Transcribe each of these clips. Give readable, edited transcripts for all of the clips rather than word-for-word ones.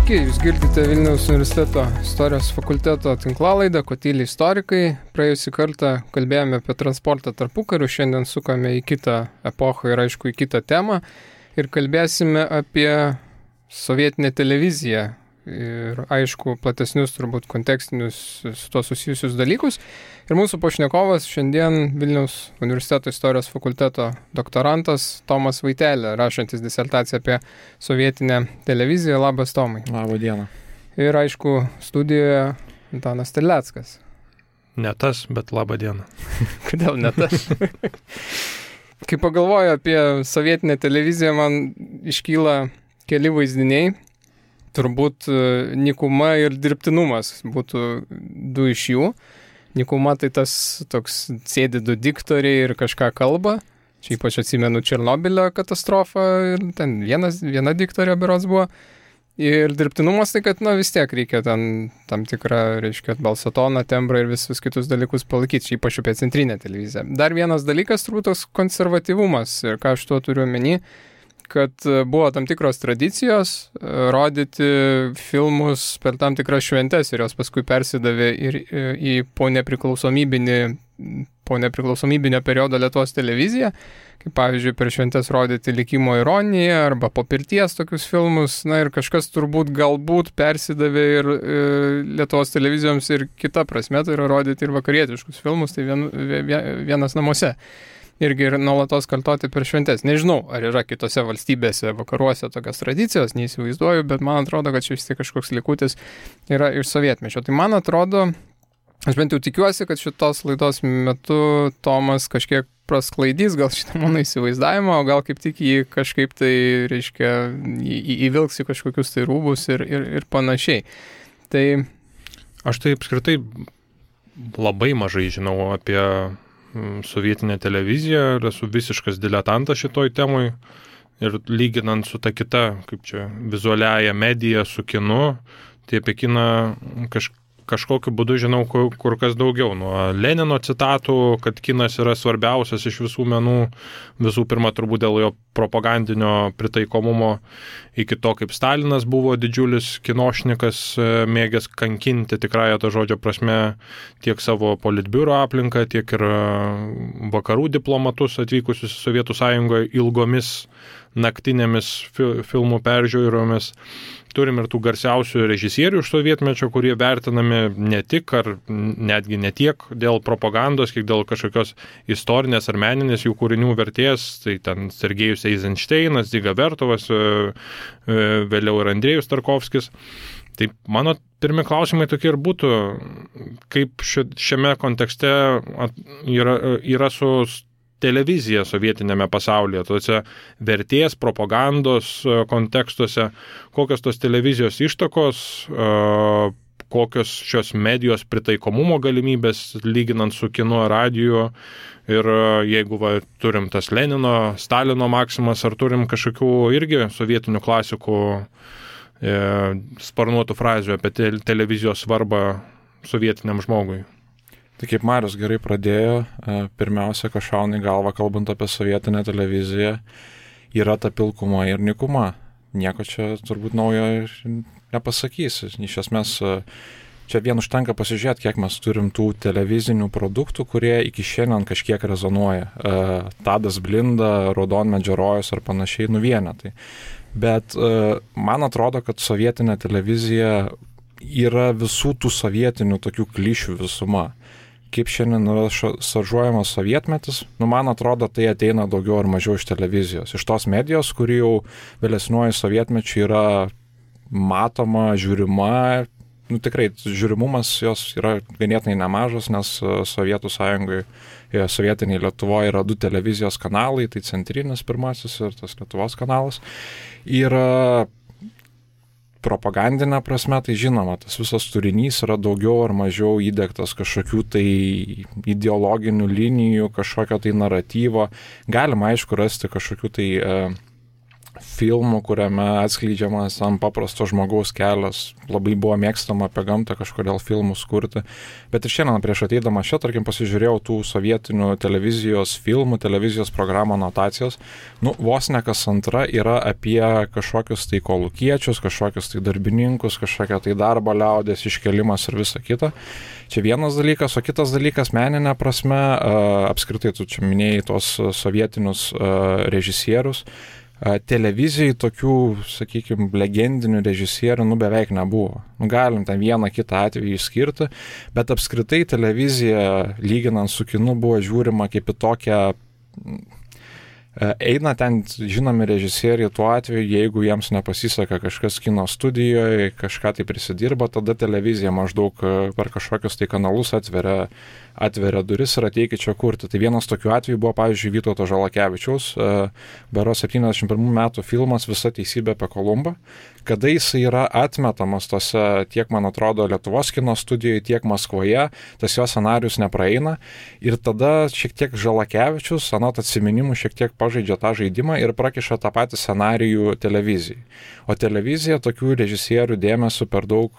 Sveiki, jūs girdite Vilniaus universiteto istorijos fakulteto tinklalaidą Kotyli istorikai. Praėjusį kartą kalbėjome apie transportą tarpukariu, šiandien sukame į kitą epochą ir aišku į kitą temą ir kalbėsime apie sovietinę televiziją ir aišku platesnius turbūt kontekstinius su to susijusius dalykus. Ir mūsų pašnekovas šiandien Vilniaus universiteto istorijos fakulteto doktorantas Tomas Vaitelė, rašantis disertaciją apie sovietinę televiziją. Labas, Tomai. Labą dieną. Ir aišku, studijoje Antanas Terleckas. Ne tas, bet labą dieną. Kodėl ne tas? Kai pagalvoju apie sovietinę televiziją, man iškyla keli vaizdiniai. Turbūt nykuma ir dirbtinumas būtų du iš jų. Nykuma tai tas toks sėdi du diktoriai ir kažką kalba. Čia ypač atsimenu Černobylio katastrofą ir ten viena diktorė berods buvo. Ir dirbtinumas tai, kad vis tiek reikia ten tam tikrą, reiškia, balsatoną, tembrą ir visus kitus dalykus palaikyti. Čia ypač apie centrinę televiziją. Dar vienas dalykas turbūt toks konservatyvumas ir ką aš tuo turiu omeny, kad buvo tam tikros tradicijos rodyti filmus per tam tikras šventes ir jos paskui persidavė ir į po nepriklausomybinio periodo Lietuvos televiziją, kaip pavyzdžiui per šventes rodyti Likimo ironiją arba po pirties tokius filmus, ir kažkas turbūt galbūt persidavė ir Lietuvos televizijoms ir kita prasme, tai yra rodyti ir vakarietiškus filmus, tai vienas namuose. Irgi ir nuolatos kartoti per šventes. Nežinau, ar yra kitose valstybėse, vakaruose tokios tradicijos, neįsivaizduoju, bet man atrodo, kad čia vis tiek kažkoks likutis yra iš sovietmečio. Tai man atrodo, aš bent jau tikiuosi, kad šitos laidos metu Tomas kažkiek prasklaidys gal šitą mano įsivaizdavimą, o gal kaip tik jį kažkaip tai, reiškia, įvilks į kažkokius tai rūbus ir panašiai. Tai aš tai apskritai labai mažai žinau apie sovietinę televiziją ir esu visiškas diletantas šitoj temoj ir lyginant su ta kita, kaip čia, vizualiaja medija su kinu, tai apie kiną kažkokiu būdu žinau kur kas daugiau. Nuo Lenino citatų, kad kinas yra svarbiausias iš visų menų, visų pirma turbūt dėl jo propagandinio pritaikomumo, iki to, kaip Stalinas buvo didžiulis kinošnikas, mėgęs kankinti tikrąją to žodžio prasme tiek savo politbiuro aplinką, tiek ir vakarų diplomatus atvykusius į Sovietų Sąjungoje ilgomis naktinėmis filmų peržiūromis. Turim ir tų garsiausių režisierių iš sovietmečio, kurie vertinami ne tik ar netgi ne tiek dėl propagandos, kiek dėl kažkokios istorinės ar meninės jų kūrinių vertės. Tai ten Sergejus Eizenšteinas, Dziga Vertovas, vėliau ir Andrėjus Tarkovskis. Tai mano pirmi klausimai tokie ir būtų, kaip šiame kontekste yra su televizija sovietinėme pasaulyje, tuose vertės, propagandos kontekstuose, kokios tos televizijos ištakos, kokios šios medijos pritaikomumo galimybės, lyginant su kinu ar radiju, ir jeigu turim tas Lenino, Stalino maksimas, ar turim kažkokių irgi sovietinių klasikų sparnuotų frazių apie televizijos svarbą sovietiniam žmogui. Tai kaip Marius gerai pradėjo, pirmiausia, kas šauna į galvą, kalbant apie sovietinę televiziją, yra ta pilkuma ir nykuma. Nieko čia turbūt naujo nepasakysi. Iš esmės, čia vien užtenka pasižiūrėti, kiek mes turim tų televizinių produktų, kurie iki šiandien kažkiek rezonuoja. Tadas Blinda, Raudonmedžio rojus ar panašiai vienetai. Bet man atrodo, kad sovietinė televizija yra visų tų sovietinių tokių klišių visuma. Kaip šiandien yra šaržuojamas sovietmetis, man atrodo, tai ateina daugiau ar mažiau iš televizijos. Iš tos medijos, kuri jau vėlesniuoju sovietmečiu yra matoma, žiūrima. Tikrai, žiūrimumas jos yra ganėtinai nemažas, nes Sovietų Sąjungoje, sovietiniai Lietuvoje yra 2 televizijos kanalai, tai centrinis pirmasis ir tas Lietuvos kanalas. Ir propagandinė prasme, tai žinoma, tas visas turinys yra daugiau ar mažiau įdegtas kažkokių tai ideologinių linijų, kažkokio tai naratyvo. Galima, aišku, rasti kažkokių tai filmų, kuriame atskleidžiamas ant paprasto žmogaus kelias. Labai buvo mėgstama apie gamtą kažkodėl filmus kurti. Bet ir šiandien prieš ateidama čia, tarkim, pasižiūrėjau tų sovietinių televizijos filmų, televizijos programų anotacijos. Vos ne kas antra yra apie kažkokius tai kolūkiečius, kažkokius tai darbininkus, kažkokią tai darbo liaudės iškelimas ir visa kita. Čia vienas dalykas, o kitas dalykas meninė prasme, apskritai tu čia minėjai tos sovietinius režisierius. Televizijai tokių, sakykime, legendinių režisierių beveik nebuvo. Galim ten vieną kitą atvejį išskirti, bet apskritai televizija, lyginant su kinu, buvo žiūrima kaip į tokią... Eina ten žinomi režisieriai tuo atveju, jeigu jiems nepasiseka kažkas kino studijoje, kažką tai prisidirba, tada televizija maždaug per kažkokius tai kanalus atveria duris ir ateikit čia kurti. Tai vienas tokių atvejų buvo, pavyzdžiui, Vytauto Žalakevičiaus, berods 71 metų filmas Visa teisybė apie Kolumbą, kada jisai yra atmetamas tose, tiek, man atrodo, Lietuvos kino studijoje, tiek Maskvoje, tas jo scenarius nepraeina ir tada šiek tiek Žalakevičius, anot atsiminimų, šiek tiek pažaidžia tą žaidimą ir prakiša tą patį scenarijų televizijai. O televizija tokių režisierių dėmesio per daug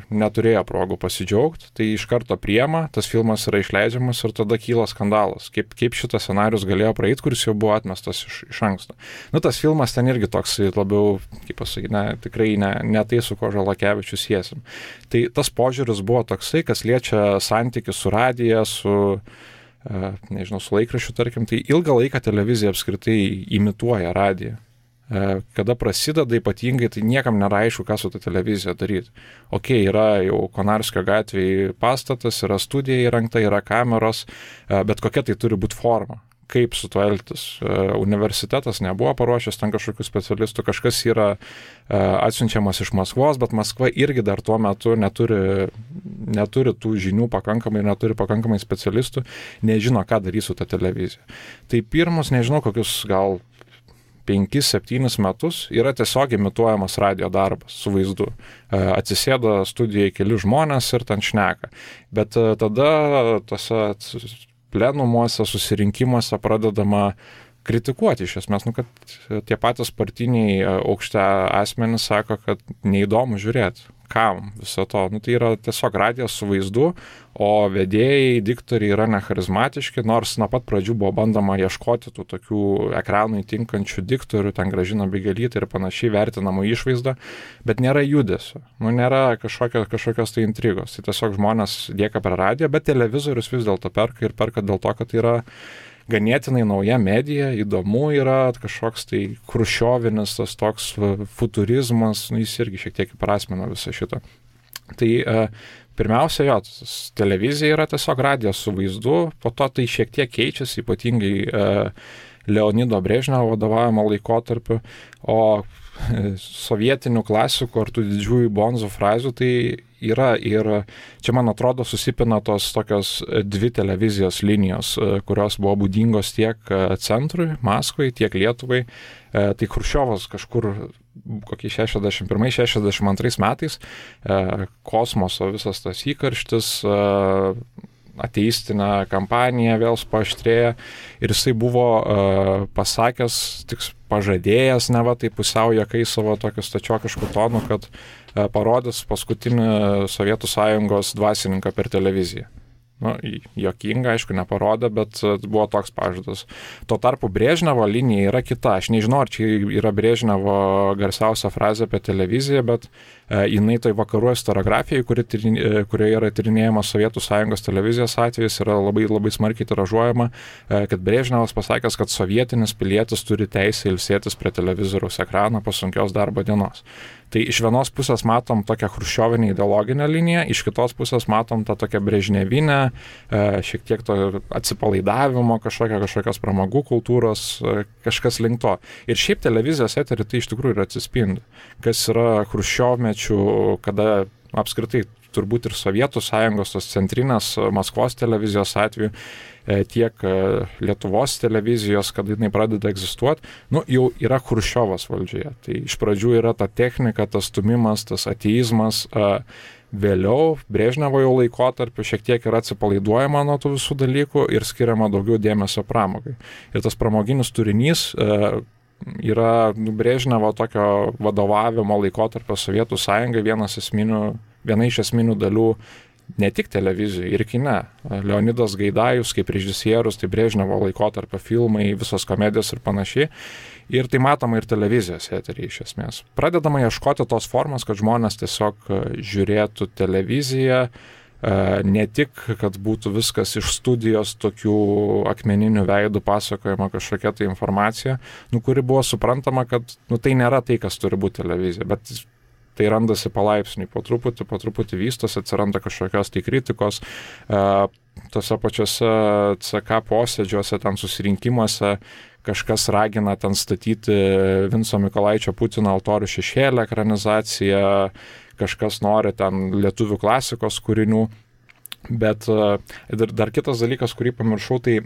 neturėjo progų pasidžiaugti, tai iš karto priema, tas filmas yra išleidžiamas ir tada kyla skandalas, kaip šitas scenarius galėjo praeiti, kuris jau buvo atmestas iš anksto. Tas filmas ten irgi toks labiau, kaip pasakyti, tikrai ne tai, su ko Žalakevičius siesim. Tai tas požiūris buvo toksai, kas liečia santykį su radija, su laikraščiu, tarkim, tai ilgą laiką televizija apskritai imituoja radiją. Kada prasideda ypatingai, tai niekam nėra aišku, ką su ta televizija daryti. Yra jau Konarskio gatvėje pastatas, yra studija įrengta, yra kameros, bet kokia tai turi būti forma. Kaip su tuo elgtis. Universitetas nebuvo paruošęs ten kažkokių specialistų, kažkas yra atsiunčiamas iš Maskvos, bet Maskva irgi dar tuo metu neturi tų žinių pakankamai, neturi pakankamai specialistų, nežino, ką darys su ta televizija. Tai pirmus, nežinau, kokius gal 5-7 metus yra tiesiog imituojamas radio darbas su vaizdu. Atsisėda studijoje keli žmonės ir ten šneka. Bet tada tose plenumuose, susirinkimuose pradedama kritikuoti iš esmės, kad tie patys partiniai aukšte asmenys sako, kad neįdomu žiūrėti. Kam viso to? Tai yra tiesiog radijas su vaizdu, o vedėjai, diktoriai yra necharizmatiški, nors nuo pat pradžių buvo bandoma ieškoti tų tokių ekranui tinkančių diktorių, ten Gražina Bigelytė ir panašiai vertinamų išvaizdą, bet nėra judesio, nėra kažkokios tai intrigos. Tai tiesiog žmonės lieka per radiją, bet televizorius vis dėlto perka dėl to, kad yra ganėtinai nauja medija, įdomu yra kažkoks tai chruščiovinis, tas toks futurizmas, jis irgi šiek tiek įprasmina visą šitą. Tai pirmiausia, televizija yra tiesiog radijas su vaizdu, po to tai šiek tiek keičiasi, ypatingai Leonido Brežnevo vadovavimo laikotarpiu, o sovietinių klasikų ar tų didžiųjų bonzų frazių tai yra ir čia, man atrodo, susipina tos tokios dvi televizijos linijos, kurios buvo būdingos tiek centrui, Maskvai, tiek Lietuvai. Tai Chruščiovas kažkur kokie 61-62 metais kosmoso visas tas įkarštis, ateistinė kampanija vėl paaštrėja ir jisai buvo pasakęs, tik pažadėjęs, tai pusiau juokai savo tokiu stačiokišku tonu, kad parodys paskutinį Sovietų Sąjungos dvasininką per televiziją. Juokinga, aišku, neparodė, bet buvo toks pažadas. Tuo tarpu Brežnevo linija yra kita. Aš nežinau, ar čia yra Brežnevo garsiausia frazė apie televiziją, bet jinai toj vakarų istoriografijai, kurioje yra tyrinėjama Sovietų Sąjungos televizijos atvejis, yra labai, labai smarkiai tiražuojama, kad Brežnevas pasakęs, kad sovietinis pilietis turi teisę ilsėtis prie televizoriaus ekrano po sunkios darbo dienos. Tai iš vienos pusės matom tokią chruščiovinę ideologinę liniją, iš kitos pusės matom tą tokią brežnevinę, šiek tiek to atsipalaidavimo, kažkokios pramogų kultūros, kažkas link to. Ir šiaip televizijos eterį tai iš tikrųjų ir atsispindi, kas yra chruščiovmečių, kada apskritai turbūt ir Sovietų Sąjungos, tos centrinės Maskvos televizijos atveju, tiek Lietuvos televizijos, kad jinai pradeda egzistuoti, jau yra Chruščiovas valdžioje. Tai iš pradžių yra ta technika, tas stumimas, tas ateizmas, vėliau Brežnevo jau laikotarpiu šiek tiek yra atsipalaiduojama nuo tų visų dalykų ir skiriama daugiau dėmesio pramogai. Ir tas pramoginis turinys yra Brežnevo tokio vadovavimo laikotarpio Sovietų sąjungai viena iš esminių dalių ne tik televizijoje ir kine. Leonidas Gaidajus kaip režisierius, tai Brežnevo laikotarpio filmai, visos komedijos ir panašiai. Ir tai matoma ir televizijos eteryje iš esmės. Pradedama ieškoti tos formos, kad žmonės tiesiog žiūrėtų televiziją, ne tik, kad būtų viskas iš studijos tokių akmeninių veidų pasakojama kažkokia tai informacija, kuri buvo suprantama, kad tai nėra tai, kas turi būti televizija, bet tai randasi palaipsniui, po truputį vystosi, atsiranda kažkokios tai kritikos, tose pačiose CK posėdžiuose, ten susirinkimuose, kažkas ragina ten statyti Vinco Mykolaičio Putino altorių šešėlį ekranizaciją, kažkas nori ten lietuvių klasikos kūrinių, bet dar kitas dalykas, kurį pamiršau, tai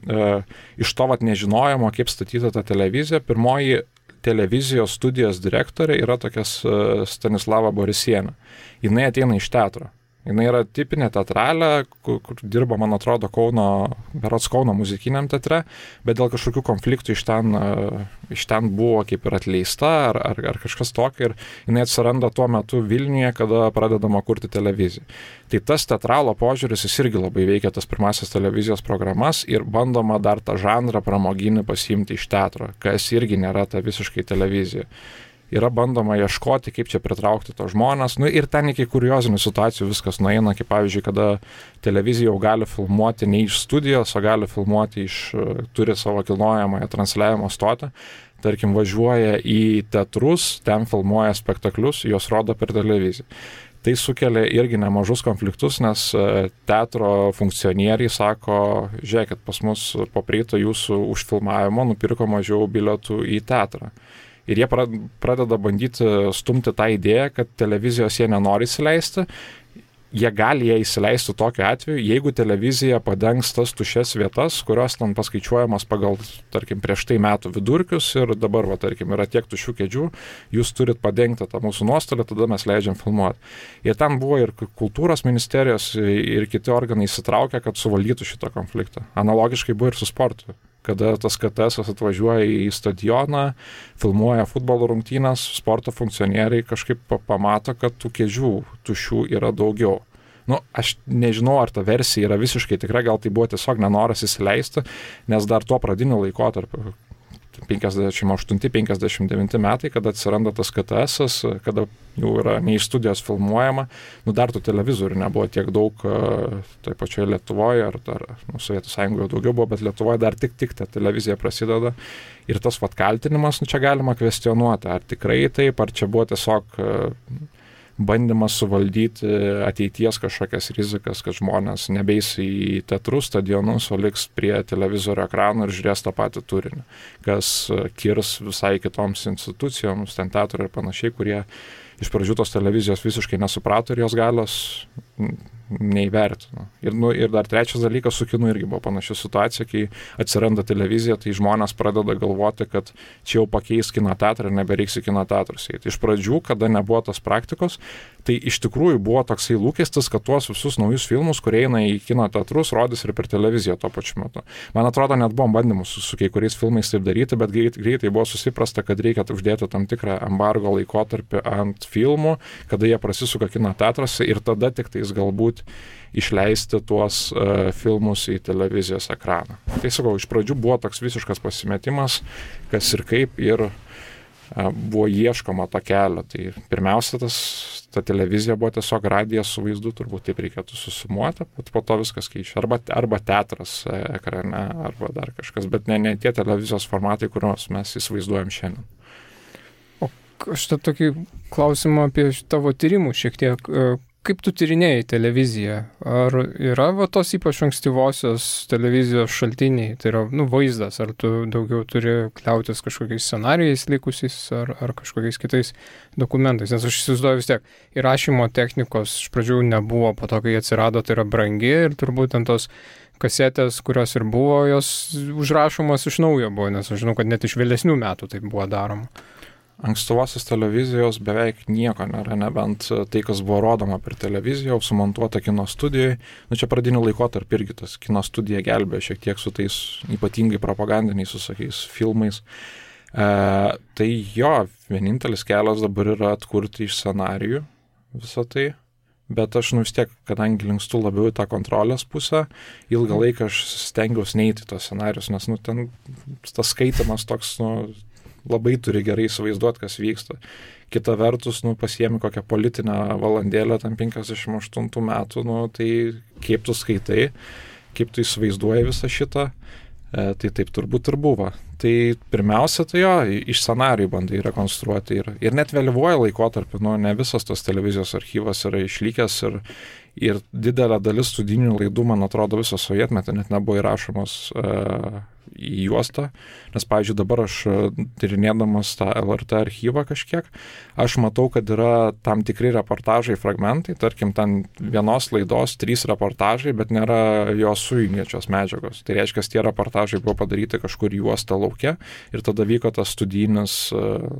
iš to nežinojimo, kaip statyti tą televiziją, pirmoji televizijos studijos direktorė yra tokia Stanislava Borisienė. Jinai ateina iš teatro. Jinai yra tipinė teatralė, kur dirba, man atrodo, Kauno muzikiniam teatre, bet dėl kažkokių konfliktų iš ten buvo kaip ir atleista ar kažkas tokio, ir jinai atsiranda tuo metu Vilniuje, kada pradedama kurti televiziją. Tai tas teatralo požiūris, jis irgi labai veikia tas pirmasis televizijos programas ir bandoma dar tą žanrą pramoginį pasiimti iš teatro, kas irgi nėra ta visiškai televizija. Yra bandoma ieškoti, kaip čia pritraukti to žmonės, ir ten iki kuriozinių situacijų viskas nueina, kaip pavyzdžiui, kada televizija jau gali filmuoti ne iš studijos, o gali filmuoti turi savo kilnojamąją transliavimo stotį, tarkim, važiuoja į teatrus, ten filmuoja spektaklius, juos rodo per televiziją. Tai sukelia irgi nemažus konfliktus, nes teatro funkcionieriai sako, žiūrėkit, pas mus po prieito jūsų užfilmavimo nupirko mažiau bilietų į teatrą. Ir jie pradeda bandyti stumti tą idėją, kad televizijos jie nenori įsileisti. Jie gali ją įsileisti tokiu atveju, jeigu televizija padengs tas tuščias vietas, kurios ten paskaičiuojamas pagal, tarkim, prieš tai metų vidurkius ir dabar, tarkim, yra tiek tuščių kėdžių, jūs turit padengti tą mūsų nuostolį, tada mes leidžiam filmuoti. Ir ten buvo ir kultūros ministerijos, ir kiti organai įsitraukia, kad suvaldytų šitą konfliktą. Analogiškai buvo ir su sportu. Kada tas KTS atvažiuoja į stadioną, filmuoja futbolo rungtynes, sporto funkcionieriai kažkaip pamato, kad tų kėdžių tuščių yra daugiau. Aš nežinau, ar ta versija yra visiškai tikra, gal tai buvo tiesiog nenoras įsileisti, nes dar tuo pradiniu laikotarpiu, 58-59 metai, kada atsiranda tas KTS, kada jau yra ne iš studijos filmuojama, dar tų televizorių nebuvo tiek daug toje pačioje Lietuvoje, ar Sovietų sąjungoje daugiau buvo, bet Lietuvoje dar tik ta televizija prasideda. Ir tas kaltinimas, čia galima kvestionuoti, ar tikrai taip, ar čia buvo tiesiog bandymas suvaldyti ateities kažkokias rizikas, kad žmonės nebeis į teatrus, stadionus, o liks prie televizorio ekranų ir žiūrės tą patį turinį, kas kirs visai kitoms institucijoms, ten teatro ir panašiai, kurie iš pradžių tos televizijos visiškai nesuprato ir jos galios neįvertino. Ir dar trečias dalykas, su kinu irgi buvo panaši situacija, kai atsiranda televizija, tai žmonės pradeda galvoti, kad čia jau pakeis kino teatrą ir nebereiks į kino teatrus eiti. Iš pradžių, kada nebuvo tos praktikos, tai iš tikrųjų buvo toksai lūkestis, kad tuos visus naujus filmus, kurie eina į kino teatrus, rodys ir per televiziją tuo pačiu metu. Man atrodo, net buvom bandymus su kai kuriais filmais taip daryti, bet greitai buvo susiprasta, kad reikia uždėti tam tikrą embargo laikotarpį ant filmų, kada jie prasisuka kino teatruose ir tada tik tais galbūt išleisti tuos filmus į televizijos ekraną. Tai sakau, iš pradžių buvo toks visiškas pasimetimas, kas ir kaip, ir buvo ieškoma to kelio. Tai pirmiausia, ta televizija buvo tiesiog radijas su vaizdu, turbūt taip reikėtų susumuoti, bet po to viskas keičia. Arba teatras ekrane, arba dar kažkas, bet ne tie televizijos formatai, kuriuos mes įsivaizduojam šiandien. O aš tą tokį klausimą apie tavo tyrimų šiek tiek. Kaip tu tyrinėjai televiziją? Ar yra tos ypač ankstyvosios televizijos šaltiniai, tai yra vaizdas, ar tu daugiau turi kliautis kažkokiais scenarijais likusiais ar kažkokiais kitais dokumentais? Nes aš įsivaizduoju vis tiek, įrašymo technikos iš pradžių nebuvo, po to, kai atsirado, tai yra brangi ir turbūt ant tos kasetės, kurios ir buvo, jos užrašomos iš naujo buvo, nes aš žinau, kad net iš vėlesnių metų tai buvo daroma. Ankstyvosios televizijos beveik nieko nėra, nebent tai, kas buvo rodoma per televiziją, sumontuota kino studijai. Čia pradinių laikotarpį irgi tas kino studija gelbėjo šiek tiek su tais ypatingai propagandiniais visokiais filmais. Tai jo, vienintelis kelias dabar yra atkurti iš scenarijų visą tai. Bet aš vis tiek, kadangi linkstu labiau į tą kontrolės pusę, ilgą laiką aš stengiausi neiti tos scenarius, nes ten tas skaitimas toks, labai turi gerai įsivaizduoti, kas vyksta. Kita vertus, pasiemi kokią politinę valandėlę, tam 58 metų, tai kaip tu skaitai, kaip tu įsivaizduoji visą šitą, tai taip turbūt ir buvo. Tai pirmiausia, tai jo, iš scenarijų bandai rekonstruoti ir net vėlyvuoju laikotarpiu, ne visas tos televizijos archyvas yra išlikęs ir didelė dalis studijinių laidų, man atrodo, viso sovietmetį net nebuvo įrašomos į juostą, nes, pavyzdžiui, dabar aš tyrinėdamas tą LRT archyvą kažkiek, aš matau, kad yra tam tikri reportažai, fragmentai, tarkim, ten vienos laidos 3 reportažai, bet nėra jos sujungiančios medžiagos. Tai reiškia, tie reportažai buvo padaryti kažkur juosta lauke ir tada vyko tas studijinis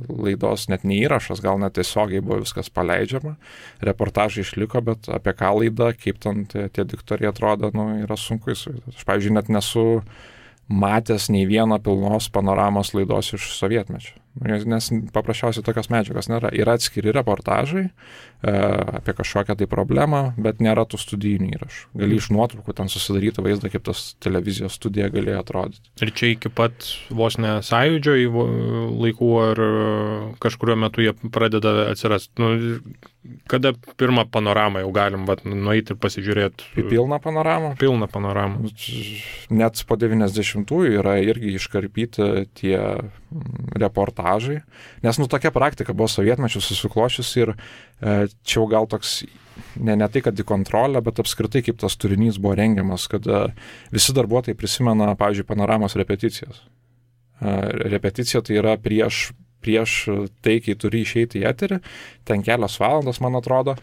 laidos net neįrašas, gal net tiesiogiai buvo viskas paleidžiama. Reportažai išliko, bet apie ką laida, kaip ten tie diktoriai atrodo, yra sunku įsivaizduoti. Aš, pavyzdžiui, net nesu matęs nei vieno pilnos panoramos laidos iš sovietmečio. Nes paprasčiausiai tokios medžiagos nėra. Yra atskiri reportažai apie kažkokią tai problemą, bet nėra tų studijinių įrašų. Gali iš nuotraukų ten susidaryti vaizdą, kaip tas televizijos studija galėjo atrodyti. Ir čia iki pat vos ne sąjūdžio laikų ar kažkurio metu jie pradeda atsirasti. Kada pirmą panoramą jau galim nueiti ir pasižiūrėti? Į pilną panoramą? Pilną panoramą. Net po 90-ųjų yra irgi iškarpyti tie reportažai, nes tokia praktika buvo sovietmečiu susiklošius ir čia jau gal toks, ne tai, kad į kontrolę, bet apskritai kaip tas turinys buvo rengiamas, kad visi darbuotojai prisimena, pavyzdžiui, panoramos repeticijas. Repeticija tai yra prieš tai, kai turi išeiti į eterį, ten kelios valandos, man atrodo,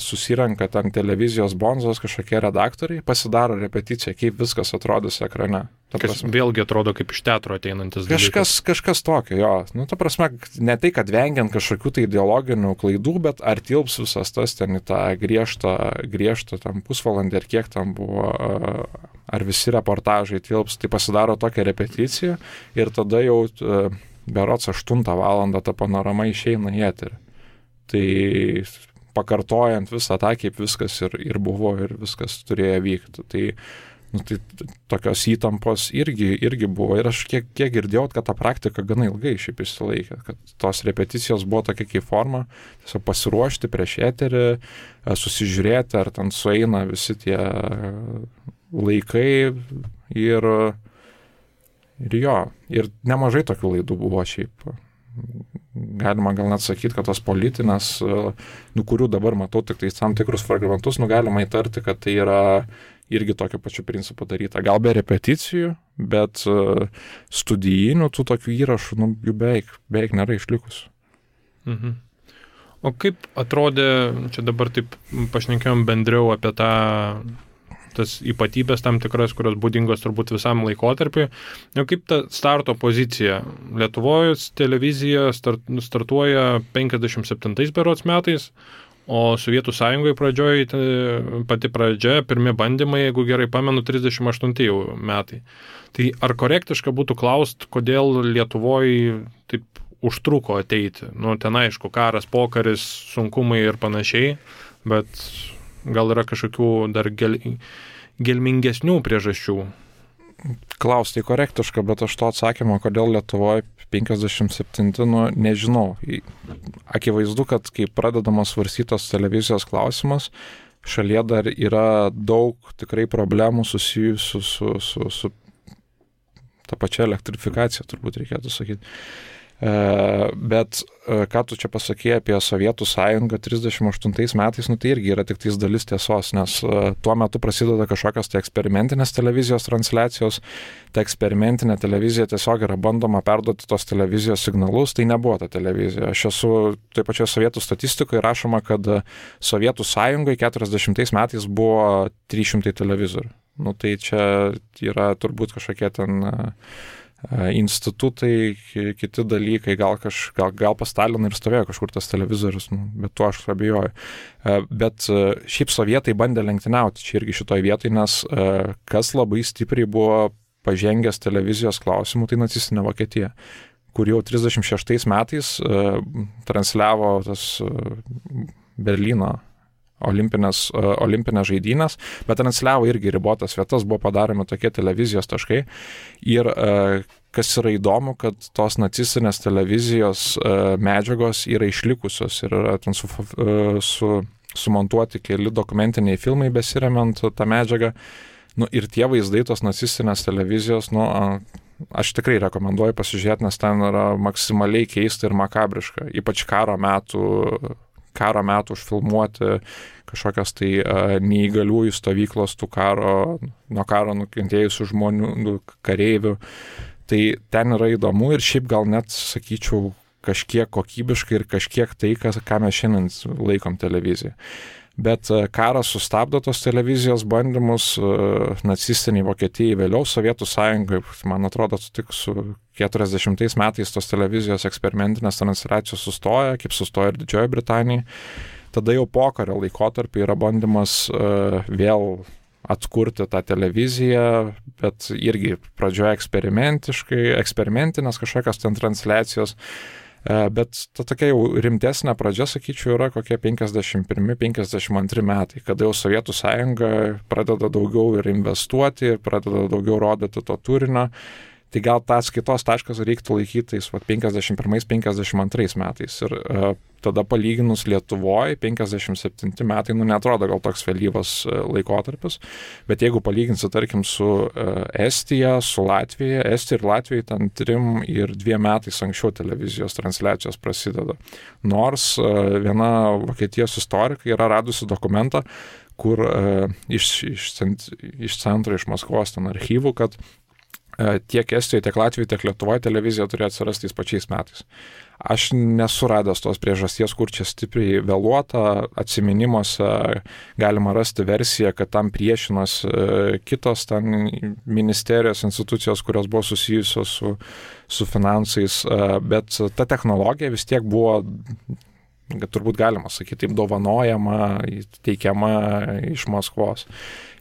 susirenka ten televizijos bonzos kažkokie redaktoriai, pasidaro repeticiją, kaip viskas atrodys ekrane. Kas vėlgi atrodo kaip iš teatro ateinantis dalykas. Kažkas tokio, jo. Ta prasme, ne tai, kad vengiant kažkokių tai ideologinių klaidų, bet ar tilps visas tas ten į tą griežtą tam pusvalandį, ar kiek tam buvo, ar visi reportažai tilps, tai pasidaro tokią repeticiją ir tada jau berods 8 valandą ta panorama išeina į eterį. Tai pakartojant visą tą, kaip viskas ir buvo ir viskas turėjo vykti. Tai tokios įtampos irgi buvo. Ir aš kiek girdėjau, kad ta praktika gana ilgai šiaip išsilaikė, kad tos repeticijos buvo tokia kaip forma, tiesiog pasiruošti prieš eterį, susižiūrėti, ar ten sueina visi tie laikai ir jo. Ir nemažai tokių laidų buvo šiaip. Galima gal net sakyti, kad tos politinės, kurių dabar matau tik tai tam tikrus fragmentus, galima įtarti, kad tai yra irgi tokiu pačiu principu daryta. Gal be repeticijų, bet studijinių tų tokių įrašų jų beveik nėra išlikusių. Mhm. O kaip atrodė, čia dabar taip pašnekėjom bendriau apie tas ypatybės tam tikras, kurios būdingos turbūt visam laikotarpiui. Kaip ta starto pozicija? Lietuvoje televizija startuoja 57 berods metais, o Sovietų Sąjungoje pradžioje, pati pradžia, pirmi bandymai, jeigu gerai pamenu, 38 metai. Tai ar korektiška būtų klaust, kodėl Lietuvoje taip užtruko ateiti? Ten aišku, karas, pokaris, sunkumai ir panašiai, bet gal yra kažkokių dar gelmingesnių priežasčių? Klausti korektiška, bet aš to atsakymo, kodėl Lietuvoje 57, nežinau. Akivaizdu, kad kai pradedamas svarstytos televizijos klausimas, šalyje dar yra daug tikrai problemų susijusių su ta pačia elektrifikacija, turbūt reikėtų sakyti. Bet ką tu čia pasakėjai apie Sovietų Sąjungą 38 metais, tai irgi yra tik tais dalis tiesos, nes tuo metu prasideda kažkokios tai eksperimentinės televizijos transliacijos, ta eksperimentinė televizija tiesiog yra bandoma perduoti tos televizijos signalus, tai nebuvo ta televizija. Aš esu taip pačioje sovietų statistikoje rašoma, kad Sovietų Sąjungoje 40 metais buvo 300 televizorių. Tai čia yra turbūt kažkokie ten institutai, kiti dalykai, gal pas Staliną ir stovėjo kažkur tas televizorius, bet tuo aš abejoju. Bet šiaip sovietai bandė lenktyniauti čia irgi šitoj vietoj, nes kas labai stipriai buvo pažengęs televizijos klausimų, tai nacistinė Vokietija. kur jau 36 metais transliavo tas Berlyno olimpinės žaidynės, bet transliavo irgi ribotas vietas, buvo padaromi tokie televizijos taškai. Ir kas yra įdomu, kad tos nacistinės televizijos medžiagos yra išlikusios ir yra ten sumontuoti keli dokumentiniai filmai besiremiant tą medžiagą. Ir tie vaizdai tos nacistinės televizijos, aš tikrai rekomenduoju pasižiūrėti, nes ten yra maksimaliai keista ir makabriška, ypač karo metų užfilmuoti kažkokias tai neįgaliųjų stovyklos nuo karo nukentėjusių žmonių, kareivių. Tai ten yra įdomu ir šiaip gal net, sakyčiau, kažkiek kokybiškai ir kažkiek tai, ką mes šiandien laikom televiziją. Bet karas sustabdo tos televizijos bandymus, nacistiniai Vokietijai, vėliau Sovietų Sąjungai, man atrodo, tik su 40 metais tos televizijos eksperimentinės transliacijos sustoja, kaip sustoja ir Didžioji Britanija. Tada jau pokario laikotarpį yra bandymas vėl atkurti tą televiziją, bet irgi pradžioje eksperimentinės kažkokios ten transliacijos. Bet ta tokia jau rimtesnė pradžia, sakyčiau, yra kokie 51-52 metai, kada jau Sovietų Sąjunga pradeda daugiau ir investuoti, ir pradeda daugiau rodyti to turinio. Tai gal tas kitos taškas reiktų laikytais 51-52 metais. Ir tada palyginus Lietuvoje 57 metai, neatrodo gal toks vėlyvas laikotarpis, bet jeigu palyginsi, tarkim, su Estija, su Latvija, Estija ir Latvija ten 3 ir 2 metais anksčiau televizijos transliacijos prasideda. Nors viena Vokietijos istorikai yra radusi dokumentą, kur iš centro, iš Maskvos ten archyvų, kad tiek Estijoje, tiek Latvijoje, tiek Lietuvoje televizija turėjo atsirasti tais pačiais metais. Aš nesu radęs tos priežasties, kur čia stipriai vėluota, atsiminimuose galima rasti versiją, kad tam priešinos kitos ten ministerijos, institucijos, kurios buvo susijusios su finansais, bet ta technologija vis tiek buvo, turbūt galima sakyti, taip dovanojama, teikiama iš Maskvos.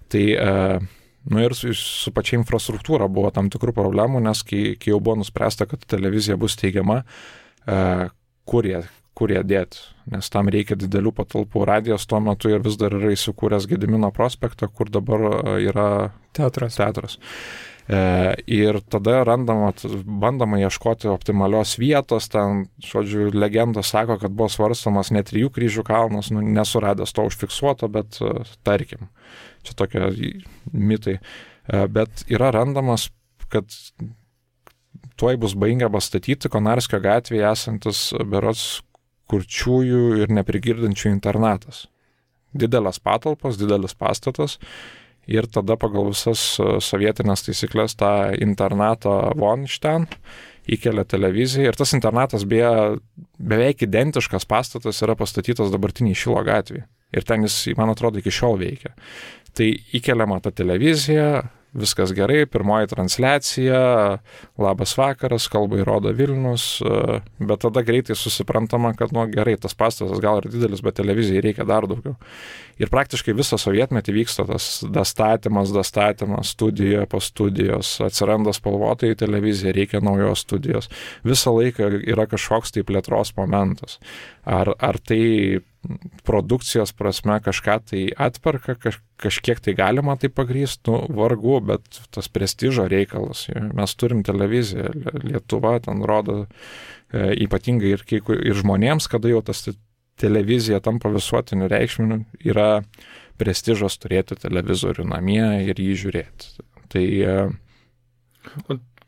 Tai ir su pačia infrastruktūra buvo tam tikrų problemų, nes kai jau buvo nuspręsta, kad televizija bus teigiama, kur ją dėti, nes tam reikia didelių patalpų. Radijas tuo metu ir vis dar yra įsikūręs Gedimino prospektą, kur dabar yra teatras. Ir tada bandama ieškoti optimalios vietos, ten, žodžiu, legendos sako, kad buvo svarstomas net 3 kryžių kalnas, nesuradęs to užfiksuoto, bet tarkim, čia tokie mitai, bet yra randamas, kad tuoj bus baigiamas statyti Konarskio gatvėje esantis berods kurčiųjų ir neprigirdančių internatas. Didelės patalpos, didelis pastatas. Ir tada pagal visas sovietinės taisyklės tą internatą von iš ten įkelia televiziją. Ir tas internatas beveik identiškas pastatas yra pastatytas dabartiniai Šilo gatvėje. Ir ten jis, man atrodo, iki šiol veikia. Tai įkeliama ta televizija, viskas gerai, pirmoji transliacija, labas vakaras, kalbai rodo Vilnius, bet tada greitai susiprantama, kad gerai, tas pastatas gal ir didelis, bet televizijai reikia dar daugiau. Ir praktiškai visą sovietmetį vyksta tas dastatymas, studija po studijos, atsiranda spalvotai televizija, reikia naujos studijos. Visą laiką yra kažkoks tai plėtros momentas. Ar tai produkcijos prasme kažką tai atperka, kažkiek tai galima tai pagrįsti, vargu, bet tas prestižo reikalas. Mes turim televiziją, Lietuva ten rodo ypatingai ir žmonėms, kada jau tas televizija tampa visuotiniu reikšminiu, yra prestižas turėti televizorių namie ir jį žiūrėti. Tai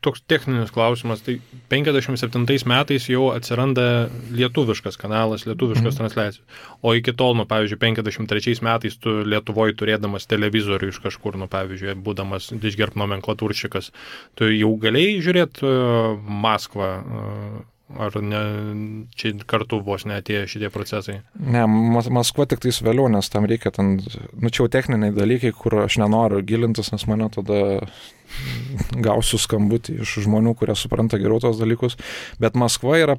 toks techninis klausimas, tai 57 metais jau atsiranda lietuviškas kanalas, lietuviškas transliacijos. O iki tol, pavyzdžiui, 53 metais tu Lietuvoje turėdamas televizorių iš kažkur, pavyzdžiui, būdamas Didžgerb nomenklatūršikas, tu jau galėjai žiūrėti Maskvą, ar ne, čia kartu vos neatėjo šitie procesai? Ne, Maskva tik tais vėliau, nes tam reikia ten, čia jau techniniai dalykai, kur aš nenoriu gilintis, nes mane tada gausiu skambutį iš žmonių, kurie supranta geriau tos dalykus, bet Maskva yra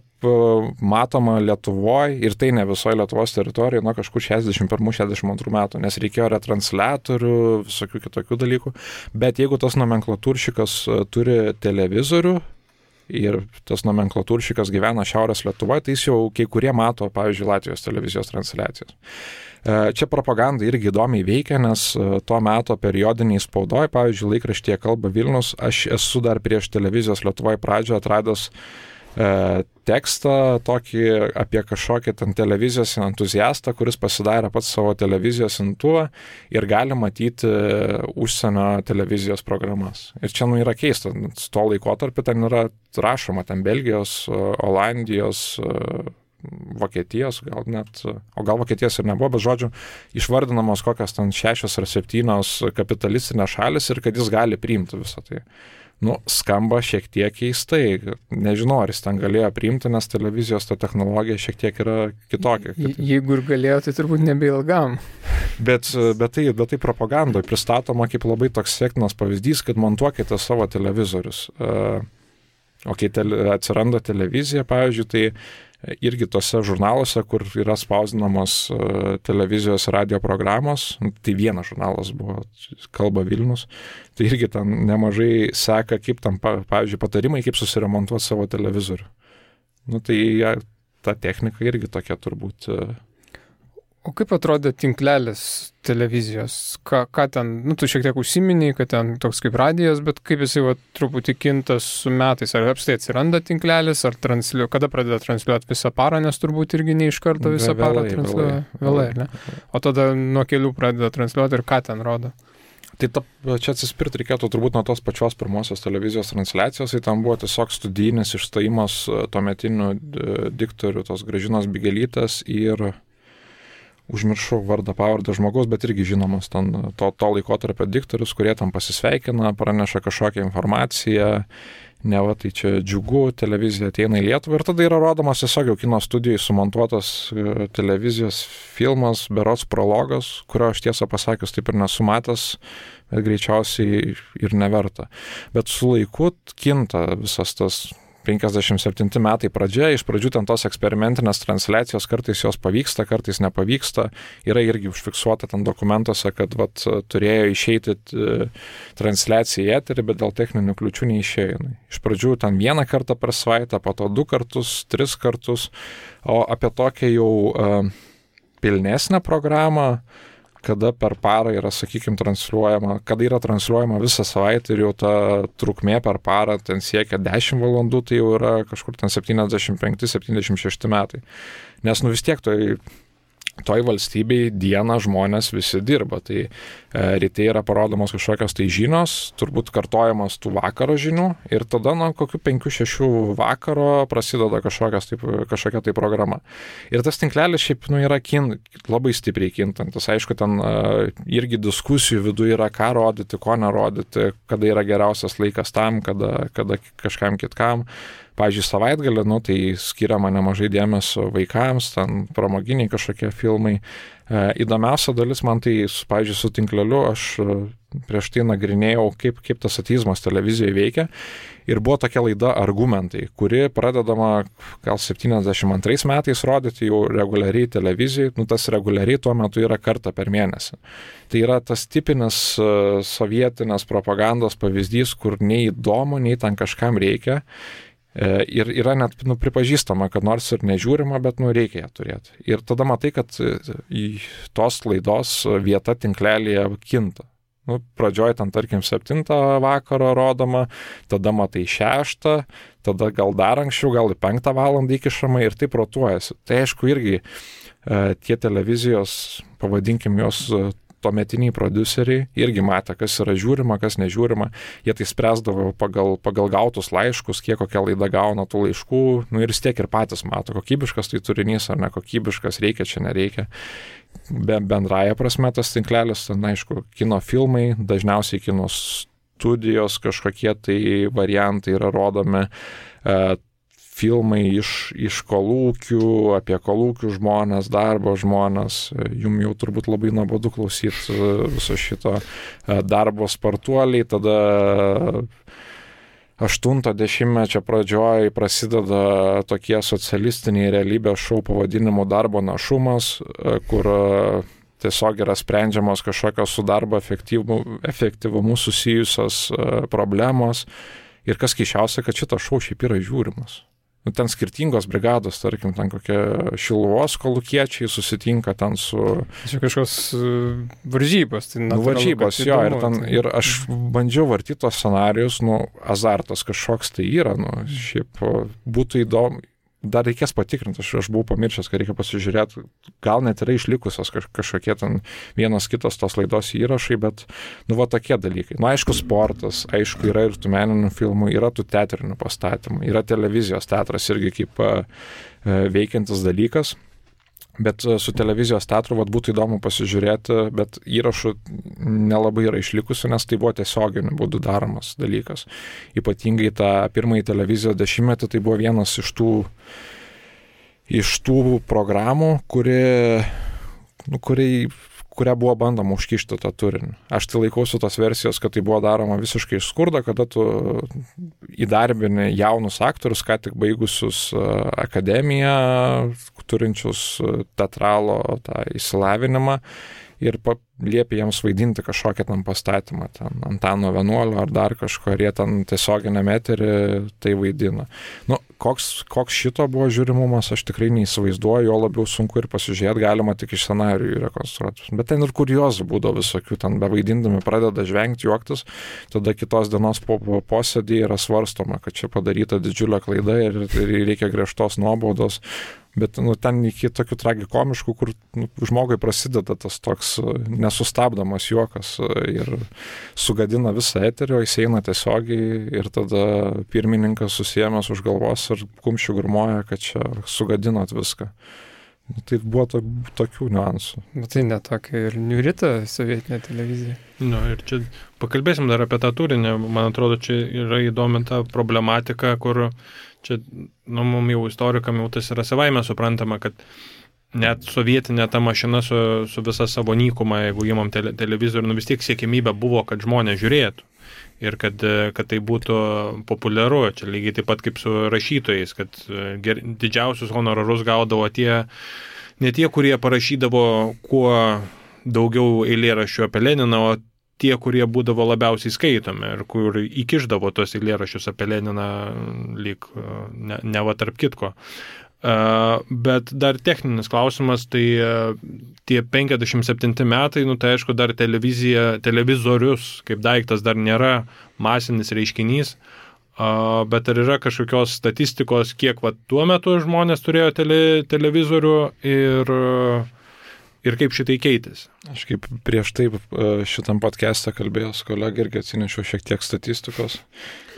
matoma Lietuvoje ir tai ne visoje Lietuvos teritorijoje nuo kažkur 61-62 metų, nes reikėjo retransliatorių, visokių kitokių dalykų, bet jeigu tas nomenklatūršikas turi televizorių, ir tas nomenklatūršikas gyvena Šiaurės Lietuvoje, tai jis jau kai kurie mato, pavyzdžiui, Latvijos televizijos transliacijas. Čia propaganda irgi įdomiai veikia, nes tuo meto periodiniai spaudoj, pavyzdžiui, laikraštyje Kalba Vilnius, aš esu dar prieš televizijos Lietuvoje pradžią atradęs tekstą tokį apie kažkokį ten televizijos entuziastą, kuris pasidarė pats savo televizijos imtuvą ir gali matyti užsienio televizijos programas. Ir čia yra keista, su to laikotarpiu ten yra rašoma, ten Belgijos, Olandijos, Vokietijos, gal net, o gal Vokietijos ir nebuvo, bet žodžiu, išvardinamos kokios ten 6 ar 7 kapitalistinės šalis ir kad jis gali priimti visą tai. Skamba šiek tiek keistai. Nežinau, ar jis ten galėjo priimti, nes televizijos ta technologija šiek tiek yra kitokia. Jeigu ir galėjo, tai turbūt nebeilgam. Bet tai propagandoje pristatoma kaip labai toks sektinas pavyzdys, kad montuokite savo televizorius. O kai atsiranda televizija, pavyzdžiui, tai irgi tose žurnaluose, kur yra spausdinamos televizijos radio programos, tai vienas žurnalas buvo, Kalba Vilnius, tai irgi ten nemažai seka, kaip tam, pavyzdžiui, patarimai, kaip susiremontuoti savo televizorių. Tai ta technika irgi tokia turbūt. O kaip atrodė tinklelis televizijos? Ką ten, tu šiek tiek užsiminiai, kad ten toks kaip radijas, bet kaip jisai truputį kinta su metais? Ar apstai atsiranda tinklelis, ar kada pradeda transliuoti visą parą, nes turbūt irgi ne iš karto visą parą transliuoja? Vėlai, ne? O tada nuo kelių pradeda transliuoti ir ką ten rodo? Tai čia atsispirti reikėtų turbūt nuo tos pačios pirmosios televizijos transliacijos, tai tam buvo tiesiog studijinis išstojimas tuometinių diktorių, tos Gražinos Bigelytės ir užmiršau vardą pavardę žmogaus, bet irgi žinomas ten to laikotarpio diktorius, kurie tam pasisveikina, praneša kažkokią informaciją, neva tai čia džiugu, televizija ateina į Lietuvą ir tada yra rodomas tiesiog jau kino studijai sumontuotas televizijos filmas, berods prologas, kurio aš tiesą pasakius taip ir nesu matęs, bet greičiausiai ir neverta. Bet su laiku kinta visas tas 57 metai pradžia, iš pradžių ten tos eksperimentinės transliacijos, kartais jos pavyksta, kartais nepavyksta, yra irgi užfiksuota ten dokumentuose, kad turėjo išeiti transliacija į eterį, bet dėl techninių kliūčių neišėjo. Iš pradžių ten 1 kartą per savaitę, po to 2 kartus, 3 kartus, o apie tokią jau pilnesnę programą, kada per parą yra, sakykime, transliuojama, kada yra transliuojama visą savaitę ir jau ta trukmė per parą ten siekia 10 valandų, tai jau yra kažkur ten 75-76 metai. Nes vis tiek toj valstybei dieną žmonės visi dirba. Tai ryte yra parodomos kažkokios tai žinios, turbūt kartojamas tų vakaro žinių ir tada kokių 5-6 vakaro prasideda kažkokia tai programa. Ir tas tinklelis šiaip yra labai stipriai kintantis. Aišku, ten irgi diskusijų viduje yra ką rodyti, ko nerodyti, kada yra geriausias laikas tam, kada kažkam kitkam. Pavyzdžiui, savaitgalį, tai skiriama nemažai dėmesio vaikams, ten pramoginiai kažkokie filmai. Įdomiausia dalis man tai, pavyzdžiui, su tinkleliu, aš prieš tai nagrinėjau, kaip tas ateizmas televizijoje veikia. Ir buvo tokia laida Argumentai, kuri pradedama gal 72 metais rodyti jau reguliariai televizijai. Tas reguliariai tuo metu yra kartą per mėnesį. Tai yra tas tipinis sovietinės propagandos pavyzdys, kur nei įdomu, nei ten kažkam reikia. Ir yra net pripažįstama, kad nors ir nežiūrima, bet reikia ją turėti. Ir tada matai, kad į tos laidos vieta tinklelėje kinta. Pradžioj ten, tarkim, 7 vakaro rodoma, tada matai 6, tada gal dar anksčiau, gal į 5 valandą įkišama ir taip rotuojasi. Tai aišku, irgi tie televizijos, pavadinkim jos, tuometiniai prodiuseriai irgi matė, kas yra žiūrima, kas nežiūrima. Jie tai spręsdavo pagal gautus laiškus, kiek kokia laida gauna tų laiškų. Ir vis tiek ir patys mato, kokybiškas tai turinys ar nekokybiškas, reikia čia, nereikia. Bendraja prasme tas tinklelis, ten aišku, kino filmai, dažniausiai kino studijos, kažkokie tai variantai yra rodomi. Filmai iš kolūkių, apie kolūkių žmonės, darbo žmonės. Jums jau turbūt labai nuobodu klausyti viso šito darbo spartuoliai. Tada 80-mečio pradžioj prasideda tokie socialistiniai realybės šou pavadinimu Darbo našumas, kur tiesiog yra sprendžiamos kažkokios su darbo efektyvumu susijusios problemos. Ir kas keišiausia, kad šitas šou šiaip yra žiūrimas. Nu, ten skirtingos brigados, tarkim, ten kokie Šiluvos kolūkiečiai susitinka ten su... Čia kažkoks varžybos. Tai varžybos, jo, ir aš bandžiau vartyti tos scenarijus, azartas kažkoks tai yra, šiaip būtų įdomu. Dar reikės patikrinti, aš buvau pamiršęs, kad reikia pasižiūrėti, gal net yra išlikusios kažkokie ten vienas kitas tos laidos įrašai, bet, va tokie dalykai. Aišku, sportas, aišku, yra ir tų meninių filmų, yra tų teatrinių pastatymų, yra televizijos teatras irgi kaip veikiantis dalykas, bet su televizijos teatru būtų įdomu pasižiūrėti, bet įrašų nelabai yra išlikusių, nes tai buvo tiesioginiu būdu daromas dalykas. Ypatingai tą pirmąjį televizijos dešimtmetį tai buvo vienas iš tų programų, kurią buvo bandoma užkišti tą turinį. Aš tai laikausi tos versijos, kad tai buvo daroma visiškai iš skurdo, kada tu įdarbini jaunus aktorius, ką tik baigusius akademiją, turinčius teatralo tą išsilavinimą ir liepia jiems vaidinti kažkokią ten pastatymą, ten Antano Vienuolio ar dar kažko, ir jie ten tiesioginėme eteryje tai vaidina. Koks šito buvo žiūrimumas, aš tikrai neįsivaizduoju, jo labiau sunku ir pasižiūrėti, galima tik iš scenarijų rekonstruoti. Bet ten ir kuriozų būdavo visokių, ten bevaidindami pradeda žvengti, juoktis, tada kitos dienos posėdį yra svarstoma, kad čia padaryta didžiulė klaida ir reikia griežtos nuobaudos. Bet ten iki tokių tragikomiškų, kur žmogui prasideda tas toks nesustabdomas juokas ir sugadina visą eterį, jis eina tiesiogiai ir tada pirmininkas susiėmęs už galvos ir kumščių grūmoja, kad čia sugadinot viską. Tai buvo tokių niuansų. Bet tai netokia ir niurita sovietinė televizija. Ir čia pakalbėsim dar apie tą turinį. Man atrodo, čia yra įdomi ta problematika, kur čia, mums jau istorikam jau tas yra savaime suprantama, kad net sovietinė ta mašina su visa savo nykuma, jeigu įmam televizorių, vis tiek siekimybė buvo, kad žmonės žiūrėtų. Ir kad tai būtų populiaru. Čia lygiai taip pat kaip su rašytojais, kad didžiausius honorarus gaudavo ne tie, kurie parašydavo kuo daugiau eilėraščių apie Leniną, o tie, kurie būdavo labiausiai skaitomi ir kur įkišdavo tos eilėraščius apie Leniną lyg ne va tarp kitko. Bet dar techninis klausimas, tai tie 57 metai, tai aišku, dar televizorius kaip daiktas dar nėra masinis reiškinys, bet ar yra kažkokios statistikos, kiek tuo metu žmonės turėjo televizorių ir kaip šitai keitėsi? Aš kaip prieš tai šitam podcast'ą kalbėjęs kolegai irgi atsinešiau šiek tiek statistikos.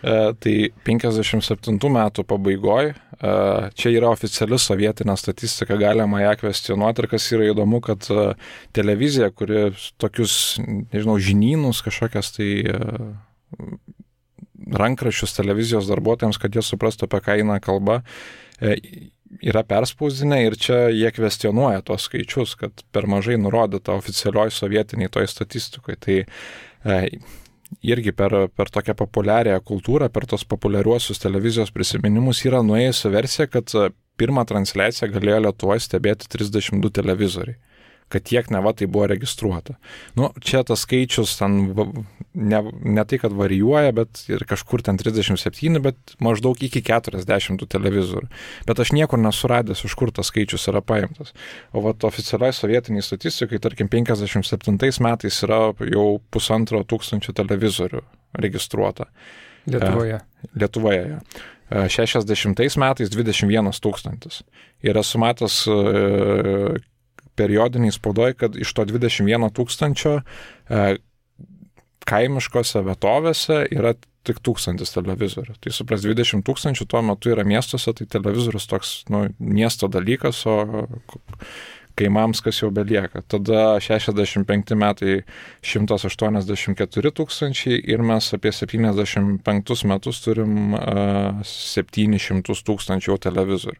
Tai 57 metų pabaigoje, čia yra oficiali sovietinė statistika, galima ją kvestionuoti, ir kas yra įdomu, kad televizija, kuri tokius, žinynus, kažkokias tai rankraščius televizijos darbuotojams, kad jie suprastų, apie ką eina kalba, yra perspausdinę, ir čia jie kvestionuoja tos skaičius, kad per mažai nurodyta oficialioj sovietiniai toj statistikoje. Tai irgi per tokią populiarią kultūrą, per tos populiariuosius televizijos prisiminimus yra nuėjusi versija, kad pirmą transliaciją galėjo Lietuvoje stebėti 32 televizoriai. Kad tiek neva tai buvo registruota. Čia tas skaičius ten ne tai, kad varijuoja, bet ir kažkur ten 37, bet maždaug iki 40 televizorių. Bet aš niekur nesuradęs, iš kur tas skaičius yra paimtas. O oficialiai sovietiniai statistikai, tarkim, 57 metais yra jau 1500 televizorių registruota. Lietuvoje. 60 metais 21 000. Ir esu matęs periodiniai spaudoj, kad iš to 21 000 kaimiškose vietovėse yra tik 1000 televizorių. Tai supras, 20 000 tuo metu yra miestuose, tai televizorius toks miesto dalykas, o kaimams kas jau belieka. Tada 65 metai 184 000 ir mes apie 75 metus turim 700 000 jau televizorių.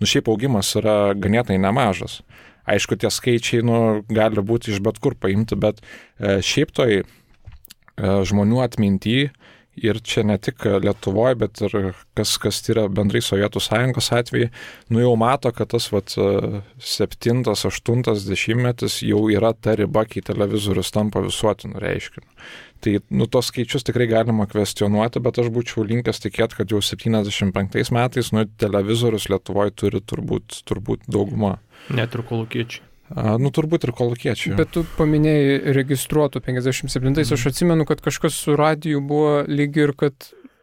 Šiaip augimas yra ganėtinai nemažas. Aišku, tie skaičiai gali būti iš bet kur paimti, bet šiaip toj žmonių atminty Ir čia ne tik Lietuvoje, bet ir kas yra bendrai Sovietų sąjungos atvejai, jau mato, kad tas 7-8 metais jau yra ta riba, kai televizorius tampa visuotiniu reiškiniu. Tai tos skaičius tikrai galima kvestionuoti, bet aš būčiau linkęs tikėti, kad jau 75 metais televizorius Lietuvoje turi turbūt dauguma. Net ir kolūkiečiai. Turbūt ir kolūkiečiai. Bet tu paminėjai registruotų 57-ais, aš atsimenu, kad kažkas su radiju buvo lyg ir, kad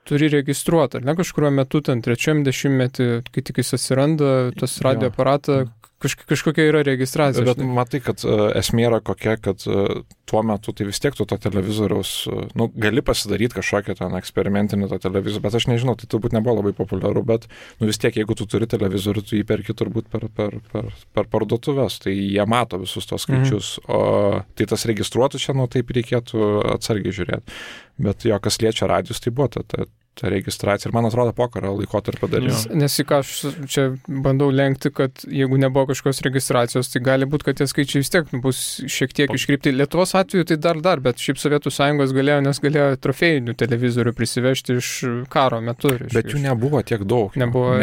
turi registruoti, ar ne, kažkuriuo metu, ten 3-10, kai tik jis atsiranda, tas radio aparatą, kažkokia yra registracija. Bet matai, kad esmė yra kokia, kad tuo metu tai vis tiek tu to televizoriaus, gali pasidaryti kažkokią ten eksperimentinį to televizorių, bet aš nežinau, tai turbūt nebuvo labai populiaru, bet vis tiek, jeigu tu turi televizorių, tu jį perki turbūt per parduotuves, tai jie mato visus tos skaičius, o tai tas registruotų čia, taip reikėtų atsargiai žiūrėti. Bet jo, kas liečia radijus, tai buvo ta registracija ir man atrodo pokario laikotarpio dalis. Nes į ką aš čia bandau lenkti, kad jeigu nebuvo kažkokios registracijos, tai gali būti, kad tie skaičiai vis tiek bus šiek tiek iškreipti. Lietuvos atveju tai dar, bet šiaip Sovietų sąjungos galėjo trofėjinių televizorių prisivežti iš karo metu. Bet jų nebuvo tiek daug. Nebuvo.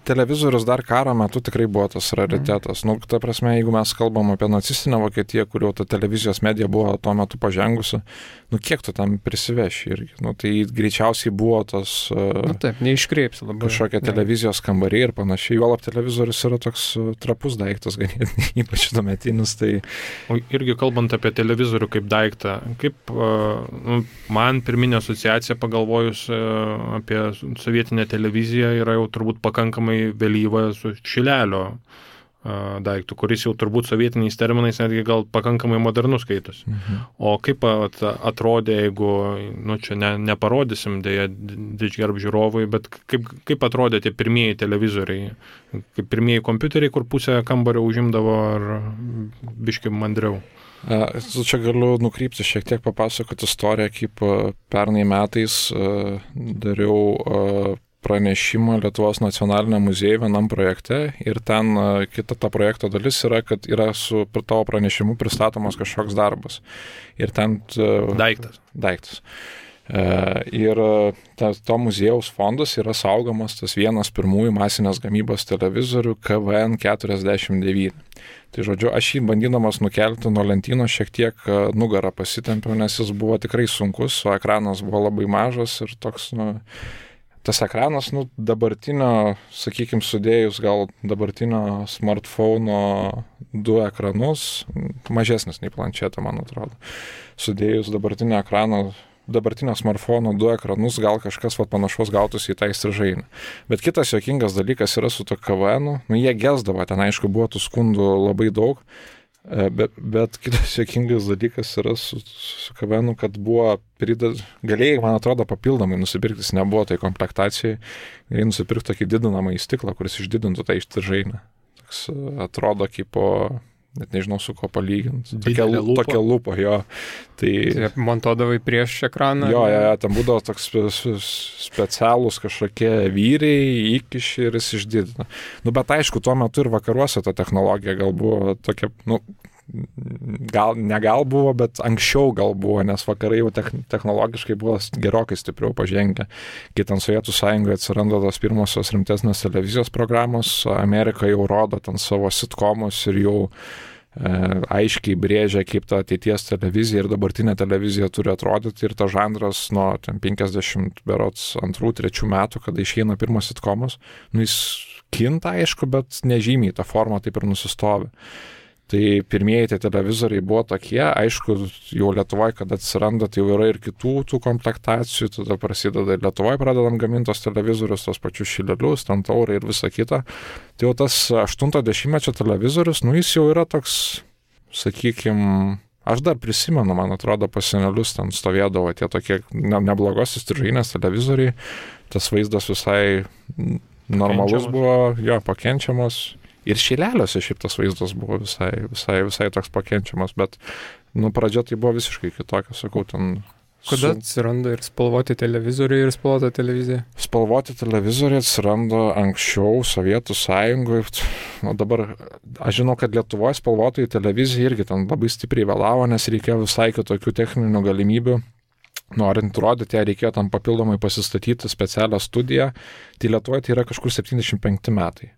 Televizorius dar karo metu tikrai buvo tas raritetas. Ta prasme, jeigu mes kalbam apie nacistinę Vokietiją, kurio ta televizijos medija buvo tuo metu pažengusi, kiek tu tam prisiveši irgi. Tai greičiausiai buvo tas taip, neiškreipsi labai. Kažkokie televizijos kambariai ir panašiai. Juolab televizorius yra toks trapus daiktas, ganėtinai, ypač tuometinis. Tai... O irgi kalbant apie televizorių kaip daiktą, kaip man pirminė asociacija pagalvojus apie sovietinę televiziją yra jau turbūt pakankamai vėlyva su šilelio daiktų, kuris jau turbūt sovietiniais terminais netgi gal pakankamai modernus skaitosi. O kaip atrodė, jeigu, čia neparodysim dėja didžgerb žiūrovui, bet kaip atrodė tie pirmieji televizoriai, kaip pirmieji kompiuteriai, kur pusę kambario užimdavo ar biškai mandriau? Čia galiu nukrypti šiek tiek papasakoti istoriją, kaip pernai metais dariau pranešimą Lietuvos nacionaliniam muziejui vienam projekte ir ten kita ta projekto dalis yra, kad yra su tavo pranešimu pristatomas kažkoks darbas. Ir ten... Daiktas. Ir to muziejaus fondas yra saugomas tas vienas pirmųjų masinės gamybos televizorių KVN 49. Tai žodžiu, aš jį bandydamas nukelti nuo lentynos šiek tiek nugarą pasitempiau, nes jis buvo tikrai sunkus, o ekranas buvo labai mažas ir toks, tas ekranas, dabartinio, sakykime, sudėjus gal dabartinio smartphone'o 2 ekranus, mažesnis nei planšetė, man atrodo. Sudėjus dabartinio smartphone'o 2 ekranus, gal kažkas panašaus gautųsi į tą įstrižainę. Bet kitas juokingas dalykas yra su to KVN-u, jie gesdavo, ten aišku buvo tų skundų labai daug, bet kitas juokingas dalykas yra su KVN-u, kad buvo galėjai, man atrodo, papildomai nusipirkti, jis nebuvo tai komplektacijai, galėjai nusipirkti tokį didinamą įstiklą, kuris išdidintų tą įstrižainę. Toks atrodo kaip net nežinau su ko palyginti. Tokia lupa, jo. Tai montuodavai prieš ekraną? Jo, ten būdavo toks specialūs kažkokie vyriai, įkiši ir jis išdidina. Bet aišku, tuo metu ir vakaruose ta technologija gal buvo tokia, negal buvo, bet anksčiau gal buvo, nes vakarai jau technologiškai buvo gerokai stipriau pažengę. Kai ten Sovietų sąjungoje atsiranda tos pirmosios rimtesnės televizijos programos, Amerika jau rodo ten savo sitcomus ir jau aiškiai brėžia, kaip ta ateities televizija ir dabartinė televizija turi atrodyti ir ta žanras nuo 52-3 metų, kada išeina pirmas sitcomas, jis kinta aišku, bet nežymiai ta forma taip ir nusistovi. Tai pirmieji tie televizoriai buvo tokie, aišku, jau Lietuvoje, kada atsiranda, tai jau yra ir kitų tų komplektacijų, tada prasideda ir Lietuvoje pradedam gamintos televizorius, tos pačius šilelius, ten taurai ir visa kita. Tai jau tas 80-mečio televizorius, jis jau yra toks, sakykime, aš dar prisimenu, man atrodo, pas senelius ten stovėdavo tie tokie neblogos įstrižainės televizoriai, tas vaizdas visai normalus buvo, jo, pakenčiamas. Ir šileliuose šiaip tas vaizdas buvo visai toks pakenčiamas, bet pradžia tai buvo visiškai kitokia, sakau, ten... Kada atsiranda ir spalvoti televizoriai ir spalvota televizija? Spalvoti televizoriai atsiranda anksčiau Sovietų sąjungoje. Dabar aš žinau, kad Lietuvoje spalvotojų televizija irgi ten labai stipriai vėlavo, nes reikėjo visai kitokių techninių galimybių. norint rodyti, reikėjo tam papildomai pasistatyti specialią studiją, tai Lietuvoje tai yra kažkur 75 metai.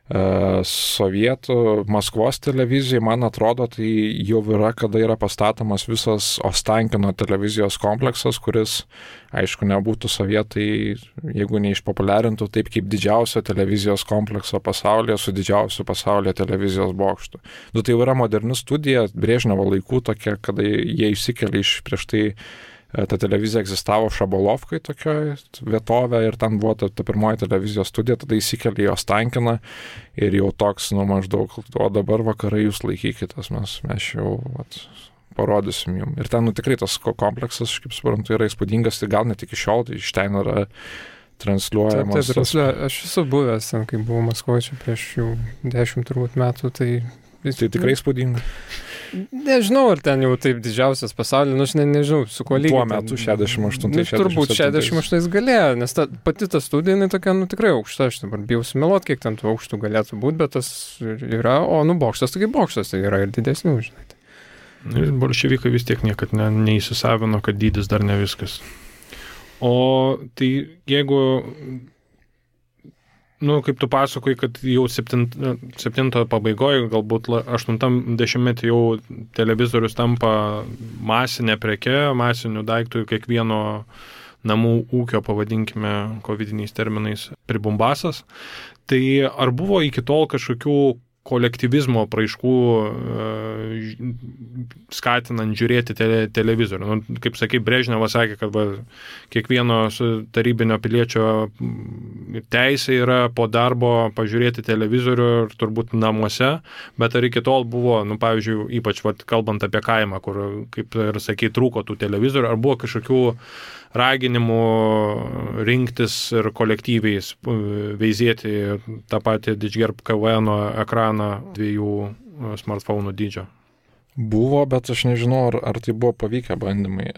Sovietų Maskvos televizijai, man atrodo, tai jau yra, kada yra pastatomas visas Ostankino televizijos kompleksas, kuris, aišku, nebūtų sovietai, jeigu neišpopuliarintų taip kaip didžiausio televizijos komplekso pasaulyje su didžiausiu pasaulyje televizijos bokštu. Tai jau yra moderni studija, Brežnevo laikų tokia, kada jie išsikėlė iš prieš tai. Ta televizija egzistavo Šabalovkai tokioje vietovė ir ten buvo ta pirmoji televizijos studija, tada įsikėlė į Ostankiną ir jau toks, maždaug, o dabar vakarai jūs laikykitės, mes jau parodysim jums. Ir ten, tikrai tas kompleksas, kaip suprantu, yra įspūdingas, tai gal net iki šiol, tai iš ten yra transliuojamas. Aš esu buvęs, kai buvau Maskvoje prieš jau 10 turbūt metų, tai tikrai įspūdinga. Nežinau, ar ten jau taip didžiausias pasaulyje, aš nežinau, su kuo lygiai. Tuo metu 68. Turbūt 68 galėjo, nes pati ta studija, tikrai tikrai aukšta, aš dabar bijau sumeluoti, kiek ten tų aukštų galėtų būti, bet tas yra, bokštas, tai bokštas, tai yra ir didesnių, žinai. Ir bolševikai vis tiek niekad neįsisavino, kad dydis dar ne viskas. O tai jeigu... kaip tu pasakoji, kad jau 7 pabaigoje, galbūt 80-metį jau televizorius tampa masinė preke, masinių daiktų kiekvieno namų ūkio, pavadinkime, kovidiniais terminais, pribumbasas. Tai ar buvo iki tol kažkokių kolektyvizmo apraiškų skatinant žiūrėti televizorių? Kaip sakai, Brežnevas sakė, kad kiekvieno tarybinio piliečio teisė yra po darbo pažiūrėti televizorių ir turbūt namuose, bet ar iki tol buvo, pavyzdžiui, ypač kalbant apie kaimą, kur, kaip ir sakai, trūko tų televizorių, ar buvo kažkokių raginimų rinktis ir kolektyviai veizėti tą patį Didžgerb KVN ekraną 2 smartphone'ų dydžio? Buvo, bet aš nežinau, ar tai buvo pavykę bandymai.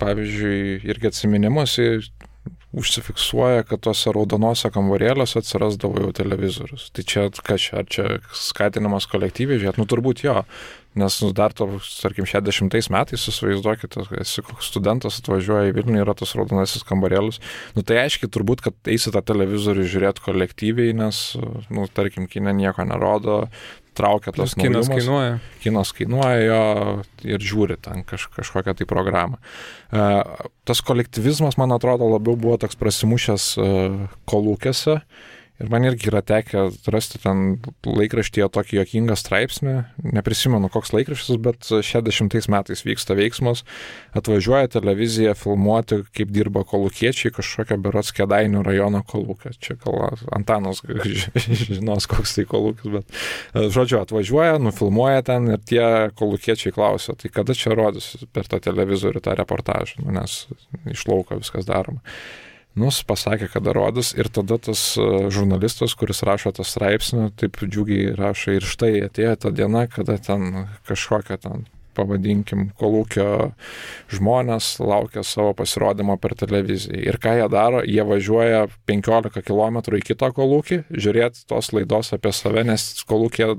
Pavyzdžiui, irgi atsiminimuose užsifiksuoja, kad tuose raudonose kambarėliuose atsirasdavo jau televizorius. Tai čia, ar čia skatinimas kolektyviai žiūrėti? Turbūt jo. Nes dar tarkim, 60 metais, įsivaizduokite, esi koks studentas, atvažiuoja į Vilnių, yra tas raudonasis kambarėlis. Tai aiškiai turbūt, kad eisi tą televizorių žiūrėti kolektyviai, nes, tarkim, kine nieko nerodo, traukia tas naujumas. Kinas kainuoja jo ir žiūri ten kažkokią tai programą. Tas kolektyvizmas, man atrodo, labiau buvo toks prasimušęs kolūkiuose. Ir man irgi yra tekę rasti ten laikraštyje tokį juokingą straipsnį, neprisimenu koks laikraštis, bet 60 metais vyksta veiksmas, atvažiuoja televizija filmuoti, kaip dirba kolūkiečiai kažkokią berods Kėdainių rajono kolūkę. Čia gal Antanas žinos, koks tai kolūkis, bet žodžiu, atvažiuoja, nufilmuoja ten ir tie kolūkiečiai klausia, tai kada čia rodys per tą televizorių tą reportažą, nes iš lauko viskas daroma. Pasakė, kada rodys ir tada tas žurnalistas, kuris rašo tą straipsnį, taip džiugiai rašo ir štai atėjo ta diena, kada ten kažkokia ten, pavadinkim, kolūkio žmonės laukia savo pasirodymo per televiziją. Ir ką jie daro? Jie važiuoja 15 km į kitą kolūkį, žiūrėti tos laidos apie save, nes kolūkė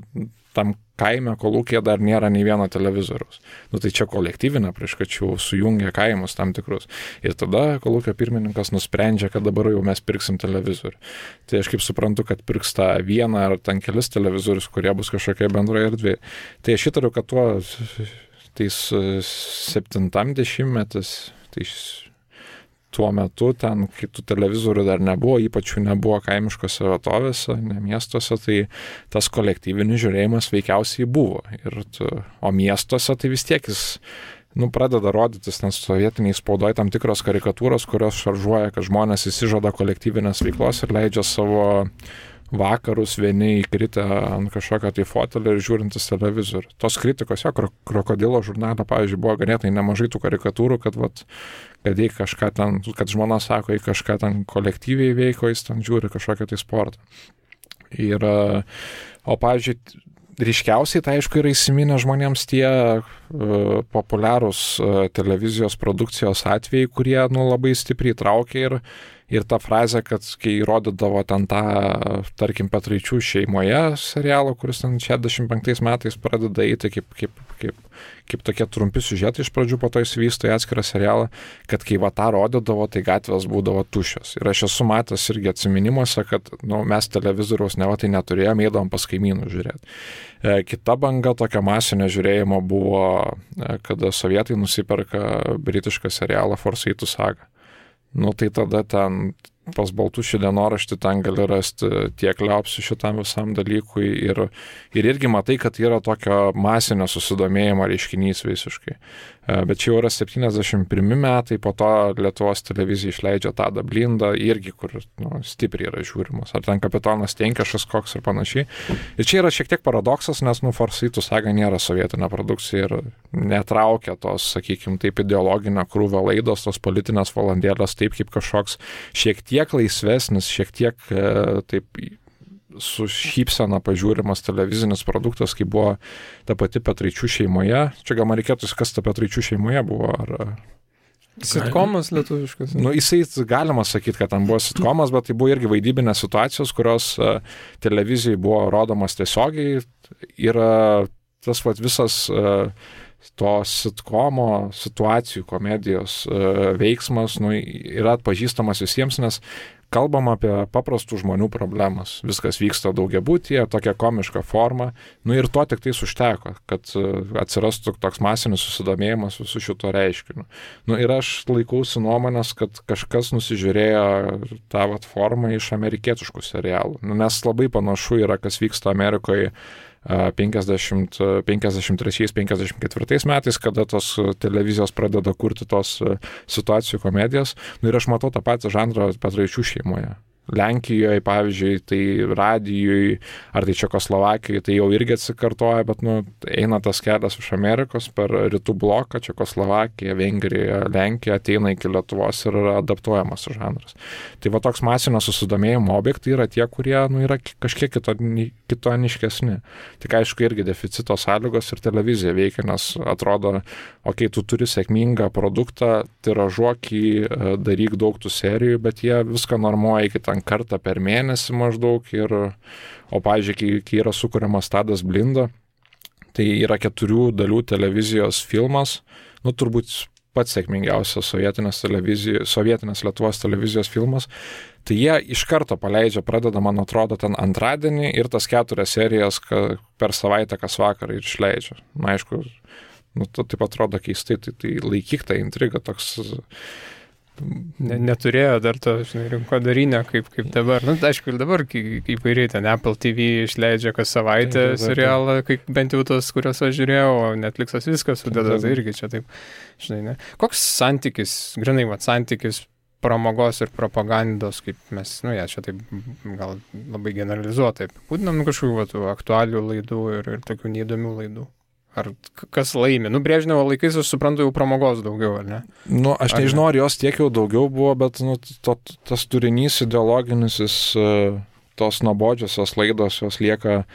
tam kaime kolūkėje dar nėra nei vieno televizoriaus. Tai čia kolektyvinė prieškačių sujungia kaimus tam tikrus. Ir tada kolūkio pirmininkas nusprendžia, kad dabar jau mes pirksim televizorių. Tai aš kaip suprantu, kad pirks tą vieną ar ten kelis televizorius, kurie bus kažkokie bendroje erdvėje. Tai aš įtariu, kad tais 70-metis, tuo metu ten, kai tų televizorių dar nebuvo, ypač jų nebuvo kaimiškose vietovėse, ne miestuose, tai tas kolektyvinis žiūrėjimas veikiausiai buvo. O miestuose tai vis tiek jis pradeda rodytis ten sovietiniai spaudoje tam tikros karikatūros, kurios šaržuoja, kad žmonės įsižada kolektyvinės veiklos ir leidžia savo vakarus vieni įkritę ant kažkokio tai fotelio ir žiūrintis televizorių. Tos kritikos, Krokodilo žurnale, pavyzdžiui, buvo ganėtai nemažai tų karikatūrų, kad jei kažką ten, kad žmona sako, jei kažką ten kolektyviai veiko, jis ten žiūri kažkokią tai sportą. O pavyzdžiui, ryškiausiai tai aišku yra įsiminę žmonėms tie populiarūs televizijos produkcijos atvejai, kurie labai stipriai traukia Ir ta frazė, kad kai rodydavo ten tą, tarkim, Petraičių šeimoje serialą, kuris ten 65 metais pradeda eiti kaip tokie trumpi siužetai iš pradžių, po to įsivysto į atskirą serialą, kad kai va tą rodydavo, tai gatvės būdavo tuščios. Ir aš esu matęs irgi atsiminimuose, kad mes televizoriaus neva tai neturėjome, eidavom pas kaimynų žiūrėti. Kita banga tokio masinio žiūrėjimo buvo, kada sovietai nusiperka britišką serialą Forsaitų saga. Tai tada ten pas Baltušį dienoraštį ten gali rasti tiek liaupsių šitam visam dalykui ir irgi matai, kad yra tokio masinio susidomėjimo reiškinys visiškai. Bet čia jau yra 71 metai, po to Lietuvos televizija išleidžia Tadą Blindą, irgi kur stipriai yra žiūrimas. Ar ten Kapitonas Tenkešas koks ir panašiai. Ir čia yra šiek tiek paradoksas, nes Forsaitų saga nėra sovietinė produkcija ir netraukia tos, sakykime, taip ideologinio krūvio laidos, tos politinės valandėlės, taip kaip kažkoks šiek tiek laisvesnis, šiek tiek taip su šypsena pažiūrimas televizinis produktas, kai buvo ta pati Petraičių šeimoje. Čia gal man reikėtų, kas ta Petraičių šeimoje buvo, ar... Sitkomas lietuviškas. Jisai galima sakyti, kad ten buvo sitkomas, bet tai buvo irgi vaidybinės situacijos, kurios televizijai buvo rodomas tiesiogiai. Yra tas visas to sitkomo situacijų, komedijos veiksmas yra atpažįstamas visiems, nes kalbam apie paprastų žmonių problemas. Viskas vyksta daugiabutyje, tokia komiška forma. Ir to tik tais užteko, kad atsirastų toks masinis susidomėjimas visų šito reiškiniu. Ir aš laikausi nuomonės, kad kažkas nusižiūrėjo tą formą iš amerikietiškų serialų. Nes labai panašu yra, kas vyksta Amerikoje 53-54 metais, kada tos televizijos pradeda kurti tos situacijų komedijas. Ir aš matau tą patį žanrą Petraičių šeimoje. Lenkijoje, pavyzdžiui, tai Radijoje, ar tai Čekoslovakijoje, tai jau irgi atsikartoja, bet eina tas kelias iš Amerikos per rytų bloką, Čekoslovakiją, Vengriją, Lenkiją, ateina iki Lietuvos ir yra adaptuojamas žanras. Tai va toks masinio susidomėjimo objektai yra tie, kurie yra kažkiek kitoniškesni. Tik aišku, irgi deficito sąlygos ir televizija veikia, nes atrodo, tu turi sėkmingą produktą, tiražuok jį, daryk daug tų serijų, bet jie viską normuoja iki kartą per mėnesį maždaug o pavyzdžiui, kai yra sukuriamas Tadas Blinda, tai yra 4 dalių televizijos filmas, turbūt pats sėkmingiausias sovietinės Lietuvos televizijos filmas, tai jie iš karto pradeda, man atrodo, ten antradienį ir tas 4 serijas per savaitę kas vakarą ir išleidžia. Aišku, taip atrodo keistai, tai laikyk tą intrigą toks... Neturėjo dar to, rinkodarinio kaip dabar. Aišku, ir dabar įvairiai ten Apple TV išleidžia kas savaitę serialą, bent jau tos, kuriuos aš žiūrėjau, o Netflixas viskas sudeda, tai irgi čia taip, ne. Koks santykis, grinai, santykis pramogos ir propagandos, kaip mes, čia taip gal labai generalizuotai apibūdinam kažkokių aktualių laidų ir tokių neįdomių laidų. Ar kas laimi? Brežnevo laikais, aš suprantu, jau pramogos daugiau, ar ne? Aš nežinau, ar jos tiek jau daugiau buvo, bet tas turinys ideologinis, tos nuobodžiosios laidos, jos lieka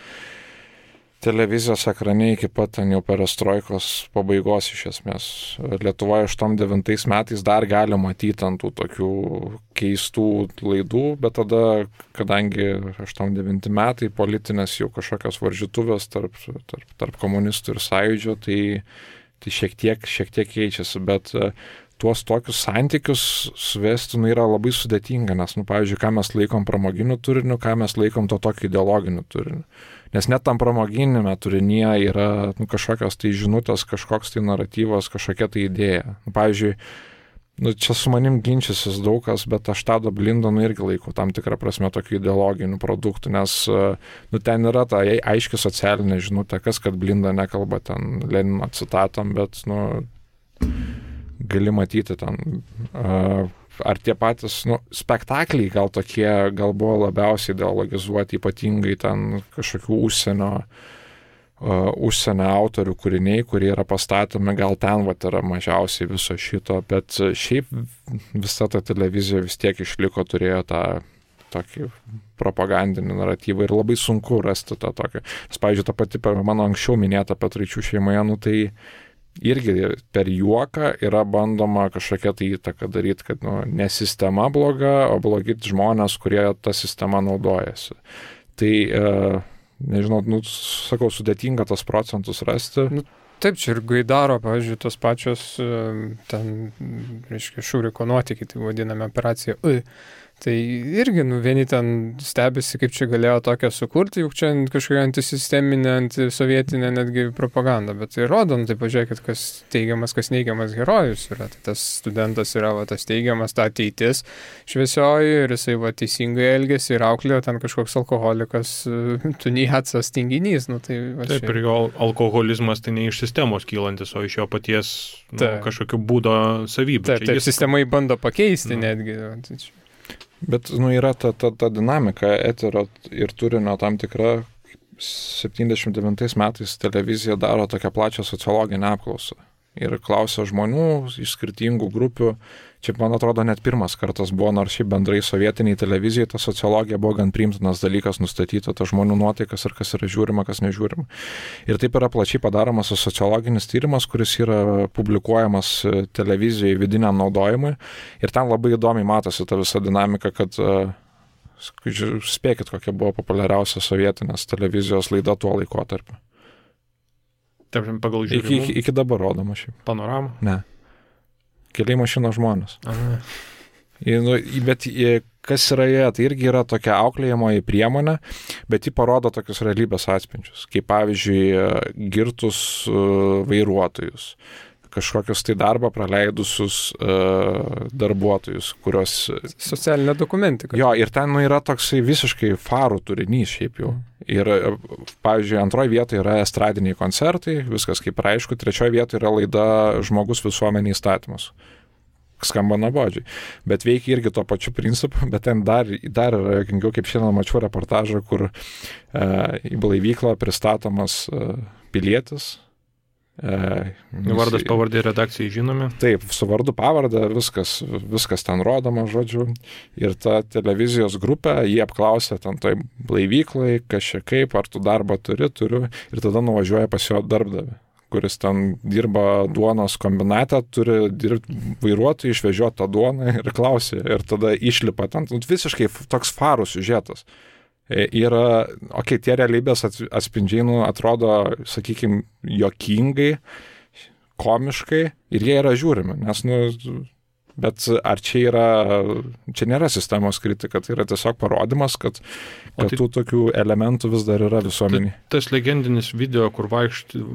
televizijos ekrane iki pat ten jau perestroikos pabaigos iš esmės. Lietuvoje 89 metais dar gali matyti ant tų tokių keistų laidų, bet tada, kadangi 89 metai politinės jau kažkokios varžytuvės tarp komunistų ir sąjūdžio, tai šiek tiek keičiasi, bet tuos tokius santykius suvesti yra labai sudėtinga, nes, pavyzdžiui, ką mes laikom pramoginiu turiniu, ką mes laikom to tokio ideologiniu turiniu. Nes net tam pramoginėme turinyje yra kažkokios tai žinutės, kažkoks tai naratyvas, kažkokia tai idėja. Pavyzdžiui, čia su manim ginčysis daug kas, bet aš Tadą Blindą irgi laikau tam tikrą prasme tokių ideologinių produktų, nes ten yra ta aiški socialinė žinutė, kas kad Blinda nekalba ten Lenino citatom, bet gali matyti ten... Ar tie patys spektakliai gal buvo labiausiai ideologizuoti, ypatingai ten kažkokių užsienio autorių kūriniai, kurie yra pastatomi, gal ten yra mažiausiai viso šito, bet šiaip visa ta televizija vis tiek išliko, turėjo tą tokį propagandinį naratyvą ir labai sunku rasti tą tokį. Nes, pavyzdžiui, ta pati mano anksčiau minėta Petraičių šeimoje, irgi per juoką yra bandoma kažkokia tai įtaka daryti, kad ne sistema bloga, o blogi žmonės, kurie tą sistemą naudojasi. Tai, nežinau, sakau, sudėtinga tos procentus rasti. Taip, čia ir Gaidaro, pavyzdžiui, tos pačios, ten, reiškia, Šuriko nuotykiai, tai vadiname operacija Tai irgi, vieni ten stebisi, kaip čia galėjo tokią sukurti, juk čia kažkokia antisisteminė, antisovietinė netgi propaganda, bet tai rodom, tai pažiūrėkit, kas teigiamas, kas neigiamas herojus yra. Tai tas studentas yra tas teigiamas, ta ateitis šviesioji ir jisai teisingai elgėsi ir auklėjo ten kažkoks alkoholikas, tuniacas, tinginys. Taip, ir jo alkoholizmas tai ne iš sistemos kylantis, o iš jo paties kažkokiu būdo savybių. Taip, sistemai bando pakeisti netgi. Bet yra ta dinamika eterio ir turinio tam tikra. 79 metais televizija daro tokią plačią sociologinę apklausą ir klausia žmonių iš skirtingų grupių. Čia, man atrodo, net pirmas kartas buvo, nors šiaip bendrai sovietiniai televizijai ta sociologija buvo gan priimtinas dalykas nustatyta, ta žmonių nuotaikas ir kas yra žiūrima, kas nežiūrima. Ir taip yra plačiai padaromas sociologinis tyrimas, kuris yra publikuojamas televizijoje vidiniam naudojimui. Ir ten labai įdomiai matosi ta visa dinamika, kad spėkit, kokia buvo populiariausia sovietinės televizijos laida tuo laikotarpiu. Taip, pagal žiūrimų. Iki dabar rodoma šiaip. Panorama? Ne. Keliai mašinos žmonės. Bet kas yra jie, tai irgi yra tokia auklėjamoji priemonė, bet ji parodo tokius realybės atspindžius, kaip pavyzdžiui girtus vairuotojus, kažkokius tai darbą praleidusius darbuotojus, kurios... Socialinė dokumentika. Jo, ir ten yra toksai visiškai farų turinys šiaip jau. Ir, pavyzdžiui, antroje vietoje yra estradiniai koncertai, viskas kaip aišku, trečioje vietoje yra laida Žmogus visuomenė įstatymus. Skamba nuobodžiai. Bet veikia irgi to pačiu principu, bet ten dar yra, kaip šiandien mačiau reportažą, kur į blaivyklą pristatomas pilietis. Vardas, pavardė, redakcijai žinomi. Taip, su vardu pavardę, viskas ten rodoma, žodžiu. Ir ta televizijos grupė, jį apklausė ten toj blaivyklai, kas čia kaip, ar tu darbą turiu. Ir tada nuvažiuoja pas jo darbdavį, kuris ten dirba duonos kombinate, turi dirbti vairuotojai, išvežioti tą duoną ir klausė. Ir tada išlipa ten visiškai toks farų siužetas. Yra, tie realybės atspindžiai atrodo, sakykime, juokingai, komiškai ir jie yra žiūrimi, nes, bet ar čia nėra sistemos kritika, tai yra tiesiog parodimas, kad tų tokių elementų vis dar yra visuomenėje. Tas legendinis video, kur vaikšti,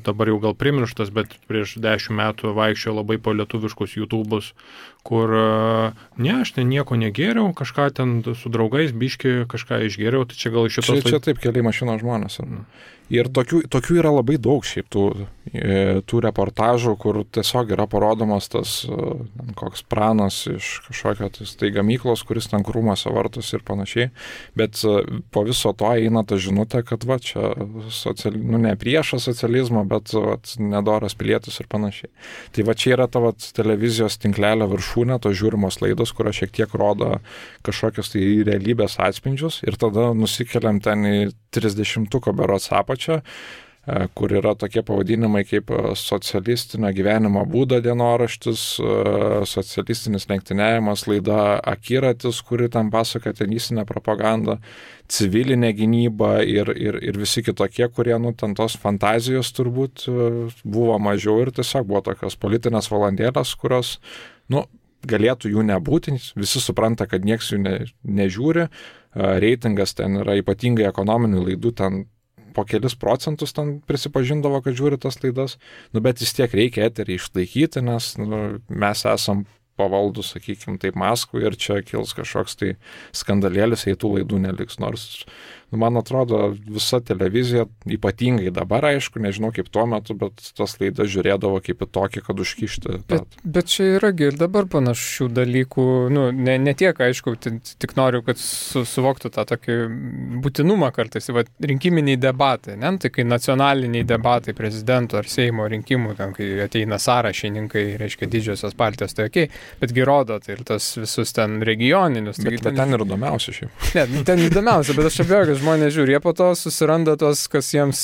dabar jau gal primirštas, bet prieš 10 metų vaikščio labai po lietuviškus YouTube'us, kur aš ten nieko negėriau, kažką ten su draugais biški kažką išgėriau, tai čia gal iš šitos... Čia taip keliai mašinos žmonės. Ir tokių yra labai daug šiaip tų reportažų, kur tiesiog yra parodomas tas koks pranas iš kažkokio tai gamyklos, kuris ten krūmuose vartos ir panašiai. Bet po viso to eina ta žinutė, kad čia ne priešas socializmo, bet nedoras pilietis ir panašiai. Tai čia yra ta televizijos tinklelio viršūnė, tos žiūrimos laidos, kurios šiek tiek rodo kažkokios tai realybės atspindžius ir tada nusikeliam ten į 30-tuko berods apačią, kur yra tokie pavadinimai kaip socialistinio gyvenimo būdo dienoraštis, socialistinis lenktyniavimas, laida Akiratis, kuri ten pasaka tenistinę propagandą, civilinė gynyba ir visi kitokie, kurie ten tos fantazijos turbūt buvo mažiau ir tiesiog buvo tokios politinės valandėlės, kurios, galėtų jų nebūti, visi supranta, kad nieks jų nežiūri, reitingas ten yra ypatingai ekonominių laidų, ten po kelis procentus ten prisipažindavo, kad žiūri tas laidas, bet vis tiek reikia eterį išlaikyti, nes mes esam pavaldus, sakykime, taip Maskvai ir čia kils kažkoks tai skandalėlis, jei tų laidų neliks, nors man atrodo visa televizija, ypatingai dabar, aišku, nežinau kaip tuo metu, bet tas laidas žiūrėdavo kaip į tokį, kad užkišti. Bet čia yragi ir dabar panašių dalykų, ne tiek, aišku, tik noriu, kad suvoktų tą tokį būtinumą kartais, rinkiminiai debatai, tai kai nacionaliniai debatai prezidento ar Seimo rinkimų, ten, kai ateina sąrašininkai, reiškia didžiosios partijos, tai okei. betgi rodo, tai ir tas visus ten regioninius. Bet ten ir įdomiausia šiaip. Ne, ten įdomiausia, bet aš abejoju, kad žmonės žiūri, jie po to susiranda tos, kas jiems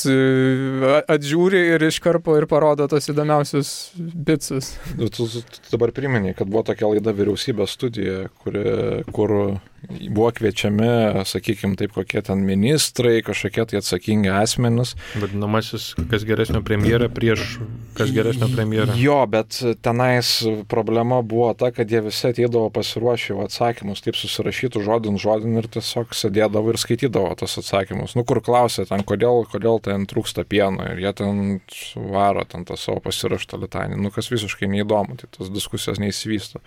atžiūri ir iškarpo ir parodo tos įdomiausius bitsus. Tu dabar priminėjai, kad buvo tokia laida Vyriausybės studija, kur buvo kviečiami, sakykime, taip kokie ten ministrai, kažkokie tai atsakingi asmenys. Vadinamasis, kas geresnio premjerą prieš kas geresnio premjerą. Jo, bet tenais problema buvo ta, kad jie visi ateidavo pasiruošę atsakymus, taip susirašytų žodin ir tiesiog sėdėdavo ir skaitydavo tos atsakymus. Kur klausė ten, kodėl ten trūksta pieno ir jie ten varo ten tą savo pasiraštą litanį. Kas visiškai neįdomu, tai tos diskusijos neįsivysto.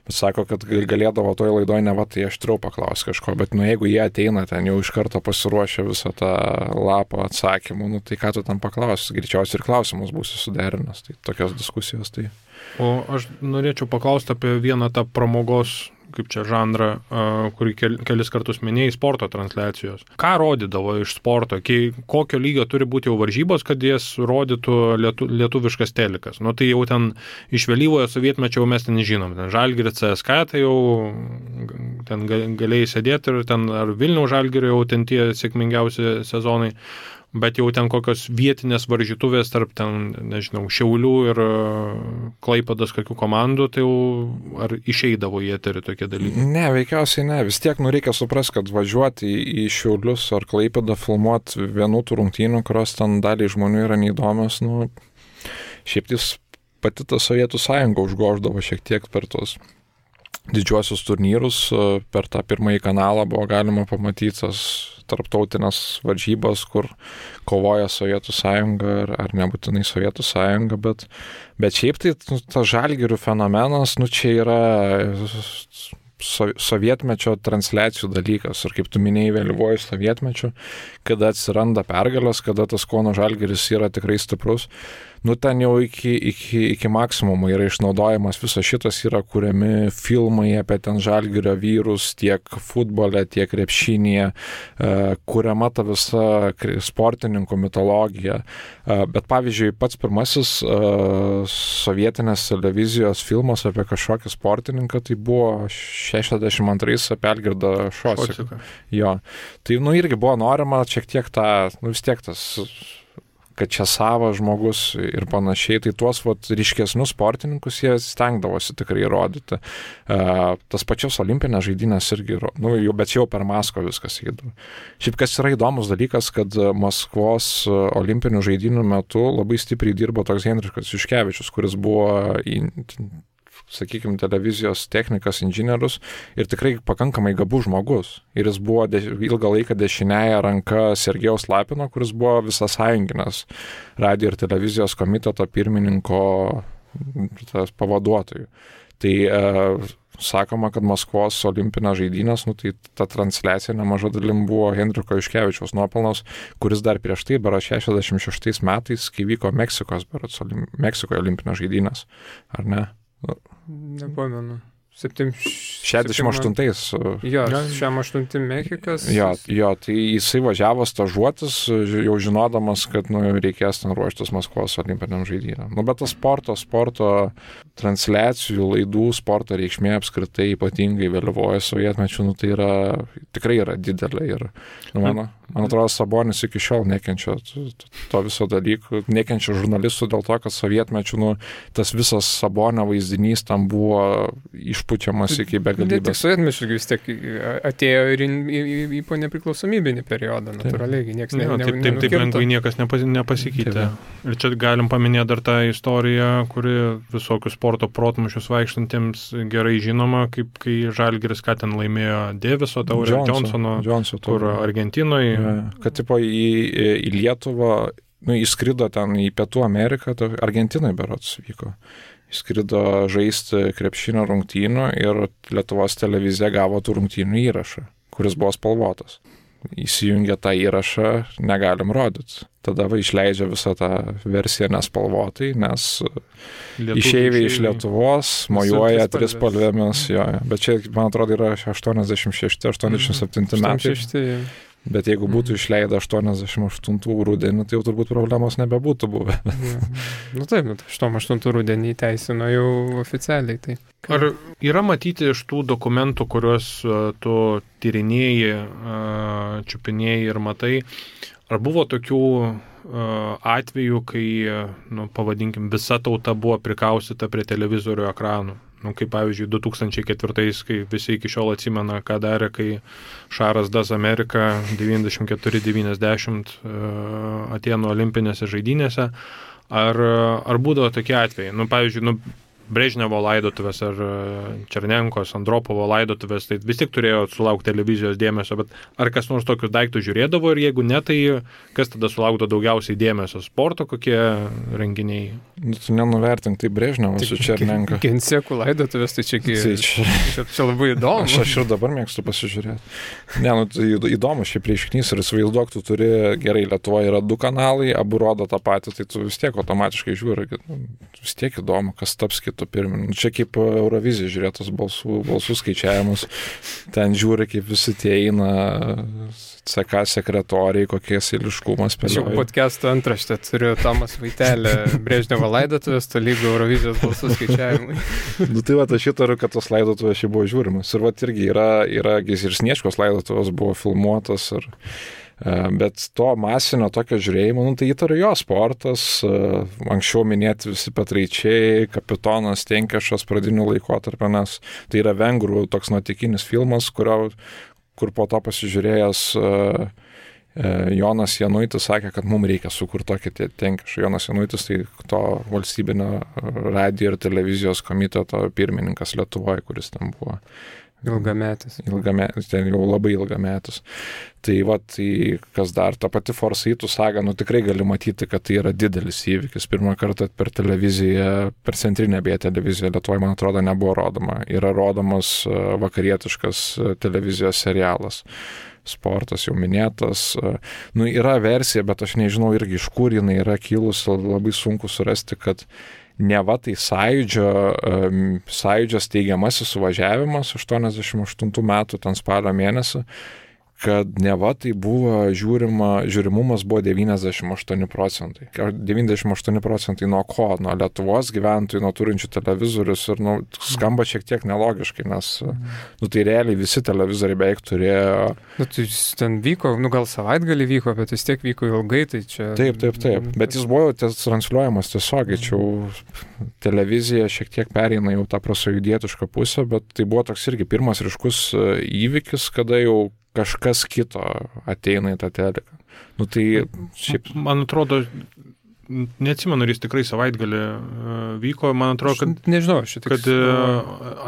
Bet sako, kad galėdavo toj laidoj ne va, tai aštriau paklaus kažko, bet jeigu jie ateina ten jau iš karto pasiruošę visą tą lapą atsakymų, tai ką tu ten paklausi, greičiausiai ir klausimus būsi suderinęs, tai tokios diskusijos. Tai. O aš norėčiau paklausti apie vieną tą pramogos, kaip čia žanrą, kurį kelis kartus minėjai, sporto transliacijos. Ką rodydavo iš sporto? Kokio lygio turi būti jau varžybos, kad jas rodytų lietuviškas telikas? Tai jau ten iš vėlyvojo sovietmečio mes ten žinom. Ten Žalgiris CSKA, tai jau ten galėjai sėdėti ir ten ar Vilniaus Žalgirio jau ten tie sėkmingiausi sezonai. Bet jau ten kokios vietinės varžytuvės tarp ten, nežinau, Šiaulių ir Klaipėdos kokių komandų, tai jau ar išeidavo į eterį tokie dalykai? Ne, veikiausiai ne. Vis tiek reikia suprasti, kad važiuoti į Šiaulius ar Klaipėdą filmuoti vienų tų rungtynių, kurios ten daliai žmonių yra neįdomios, šiaip tis pati ta Sovietų sąjunga užgoždavo šiek tiek per tos didžiuosius turnyrus, per tą pirmąjį kanalą buvo galima pamatyti tas tarptautinės varžybos, kur kovoja Sovietų sąjunga ar nebūtinai Sovietų sąjunga, bet šiaip tai tas Žalgirių fenomenas, čia yra sovietmečio transliacijų dalykas. Ir kaip tu minėjai, vėlyvuoju sovietmečiu, kada atsiranda pergalės, kada tas Kauno Žalgiris yra tikrai stiprus, ten jau iki maksimumo yra išnaudojamas visas šitas, yra kuriami filmai apie ten Žalgirio vyrus, tiek futbole, tiek krepšinėje, kuriama ta visa sportininkų mitologija. Bet pavyzdžiui, pats pirmasis sovietinės televizijos filmas apie kažkokį sportininką, tai buvo 62 apie Algirdą Šosiką. Jo. Tai irgi buvo norima šiek tiek vis tiek tas, kad čia savas žmogus ir panašiai, tai tuos ryškesnius sportininkus jie stengdavosi tikrai rodyti. Tas pačios olimpinės žaidynės irgi, bet jau per Maskvą viskas įdavo. Šiaip kas yra įdomus dalykas, kad Maskvos olimpinių žaidynių metu labai stipriai dirbo toks Henrikas Juškevičius, kuris buvo sakykime, televizijos technikas, inžinierius ir tikrai pakankamai gabus žmogus. Ir jis buvo ilgą laiką dešiniąja ranka Sergejaus Lapino, kuris buvo visasąjunginės radijo ir televizijos komiteto pirmininko pavaduotojų. Tai sakoma, kad Maskvos olimpinės žaidynės, tai ta transliacija nemaža dalim buvo Henriko Juškevičiaus nuopelnas, kuris dar prieš tai, 66 metais, kai vyko Meksikoje olimpinės žaidynės. Ar ne? Nepamenu. 68. Jo, 68 Mexikas. Jo, tai jisai važiavo stažuotis, jau žinodamas, kad reikės ten ruoštis Maskvos olimpiniam žaidynėm. Bet tas sporto transliacijų, laidų, sporto reikšmė apskritai ypatingai vėlyvoje sovietmečiu, tai tikrai yra didelė. Ir man atrodo, Sabonis iki šiol nekenčia to viso dalykų, nekenčia žurnalistų dėl to, kad sovietmečiu tas visas Sabonio vaizdinys tam buvo išpučiamas iki begalybės. Tik sovietmečiu vis tiek atėjo ir į po nepriklausomybinį periodą, natūraliai, niekas nenukirto. Taip lengvai niekas nepasikeitė. Ir čia galim paminėti dar tą istoriją, kuri visokius sporto protmušius vaikštantiems gerai žinoma, kaip kai Žalgiris ką ten laimėjo Daviso taurę, Johnsono, kur Argentinoje. Kad tipo į Lietuvą, įskrido ten į Pietų Ameriką, Argentinai berods vyko. Įskrido žaisti krepšinio rungtynių ir Lietuvos televizija gavo tų rungtynių įrašą, kuris buvo spalvotas. Įsijungia tą įrašą, negalim rodyti. Tada išleidžia visą tą versiją nespalvotai, nes išeiviai iš Lietuvos mojuoja trispalvėmis. Bet čia, man atrodo, yra 86-87 metai. Bet jeigu būtų išleidę 88 rudenį, tai jau turbūt problemos nebebūtų buvę. Nu taip, 88 rudenį įteisino jau oficialiai. Tai. Ar yra matyti iš tų dokumentų, kuriuos tu tyrinėjai, čiupinėjai ir matai, ar buvo tokių atvejų, kai, pavadinkim, visa tauta buvo prikaustyta prie televizorių ekranų? Kaip pavyzdžiui, 2004, kai visi iki šiol atsimena, ką darė, kai Šaras Das Amerika 94-90 Atėnų olimpinėse žaidynėse. Ar būdavo tokie atvejai? Pavyzdžiui, Brežnevo laidotuvės ar Černenkos, Andropovo laidotuvės, tai vis tik turėjo sulaukti televizijos dėmesio, bet ar kas nors tokius daiktus žiūrėdavo ir jeigu ne, tai kas tada sulaukdavo daugiausiai dėmesio? Sporto kokie renginiai? Tu nenuvertink, tai Brežnevo su Černenka. Gensekų laidotuvės, tai čia labai įdomu. Aš ir dabar mėgstu pasižiūrėti. Tai įdomu šiaip reiškinys ir įsivaizduok, tu turi, gerai, Lietuvoje yra 2 kanalai, abu rodo tą patį, tai tu vis tiek automatiškai žiūri, vis tiek įdomu, kas taps kitų pirminių. Čia kaip Eurovizija žiūrėtos balsų skaičiavimus, ten žiūri, kaip visi tie eina CK sekretoriai, kokies eiliškumas spėlioja. Šiaip podcast'o antraštę turiu Tomas Vaitelė, Brežnevo laidotuvės, tolygu Eurovizijos balsų skaičiavimui. Tai va, aš įtariu, kad tos laidotuvės šiai buvo žiūrimas. Ir va, irgi yra ir Sniečkos laidotuvės buvo filmuotas bet to masinio tokio žiūrėjimo, tai įtariu jo sportas, anksčiau minėti visi Petraičiai, Kapitonas Tenkešas pradinių laikotarpio, nes tai yra vengrų toks nuotykinis filmas, kur po to pasižiūrėjęs Jonas Januitis sakė, kad mums reikia sukurti tokį Tenkešą. Jonas Januitis tai to valstybinio radijo ir televizijos komiteto pirmininkas Lietuvoje, kuris ten buvo. Ilgametis, ten jau labai ilgametis. Tai kas dar, ta pati Forsaitų saga, tikrai gali matyti, kad tai yra didelis įvykis. Pirmą kartą per televiziją, per centrinę beje televiziją Lietuvoje, man atrodo, nebuvo rodoma. Yra rodomas vakarietiškas televizijos serialas. Sportas jau minėtas. Yra versija, bet aš nežinau irgi iš kur jinai yra kilusi, labai sunku surasti, kad neva tai sąjūdžio steigiamasis suvažiavimas 88 metų, ten spalio mėnesį, kad neva tai buvo žiūrimumas buvo 98%. 98% nuo ko? Nuo Lietuvos gyventojų, nuo turinčių televizorius ir skamba šiek tiek nelogiškai, nes tai realiai visi televizoriai beveik turėjo. Tai ten vyko, gal savaitgalį vyko, bet vis tiek vyko ilgai, tai čia. Taip. Bet jis buvo transliuojamas tiesiogiai, čia televizija šiek tiek pereina jau tą prasąjūdietišką pusę, bet tai buvo toks irgi pirmas ryškus įvykis, kada jau kažkas kito ateina į tą teliką. Tai šiaip. Man atrodo, neatsimenu, ar jis tikrai savaitgalį vyko, man atrodo, kad. Nežinau, kad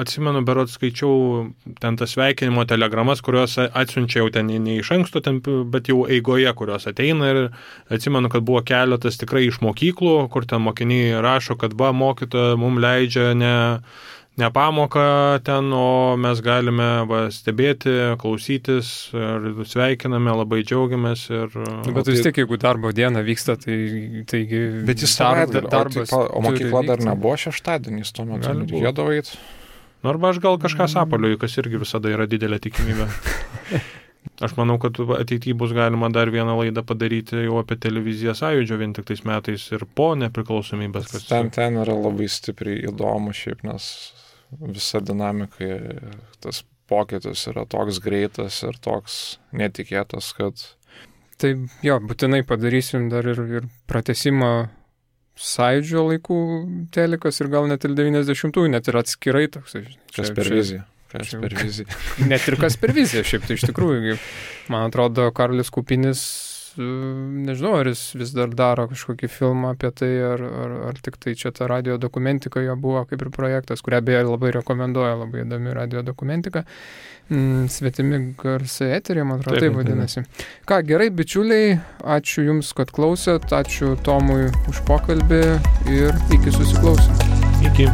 atsimenu, berods skaičiau ten tas sveikinimo telegramas, kurios atsiunčia jau ten ne iš anksto, bet jau eigoje, kurios ateina ir atsimenu, kad buvo keletas tikrai iš mokyklų, kur ten mokiniai rašo, kad mokytoja mums leidžia ne pamoką ten, o mes galime stebėti, klausytis ir sveikiname, labai džiaugiamės. Bet vis tiek, jeigu darbo diena vyksta, taigi. Bet jis darbas. O mokykla dar nebuvo šeštadienys, tuo metu reikėdavo eiti. Arba aš gal kažką sapaliuoju, kas irgi visada yra didelė tikimybė. Aš manau, kad ateityje bus galima dar vieną laidą padaryti jau apie televiziją Sąjūdžio vien tik tais metais ir po nepriklausomybės. Ten yra labai stipriai įdomu šiaip, nes visa dinamika, tas pokytis yra toks greitas ir toks netikėtas, kad. Tai jo, būtinai padarysim dar ir pratęsimą Sąjūdžio laikų telikas ir gal net ir 90-ųjų, net ir atskirai toks. Kas per viziją. Net ir kas per viziją, šiaip tai iš tikrųjų. Man atrodo, Karolis Kupinis, nežinau, ar jis vis dar daro kažkokį filmą apie tai, ar tik tai čia ta radio dokumentika jo buvo kaip ir projektas, kurią beje labai rekomenduoja, labai įdomi radio dokumentika. Svetimi garsai eterė, man atrodo, taip vadinasi. Ką, gerai, bičiuliai, ačiū Jums, kad klausėt, ačiū Tomui už pokalbį ir iki susiklausymo. Iki.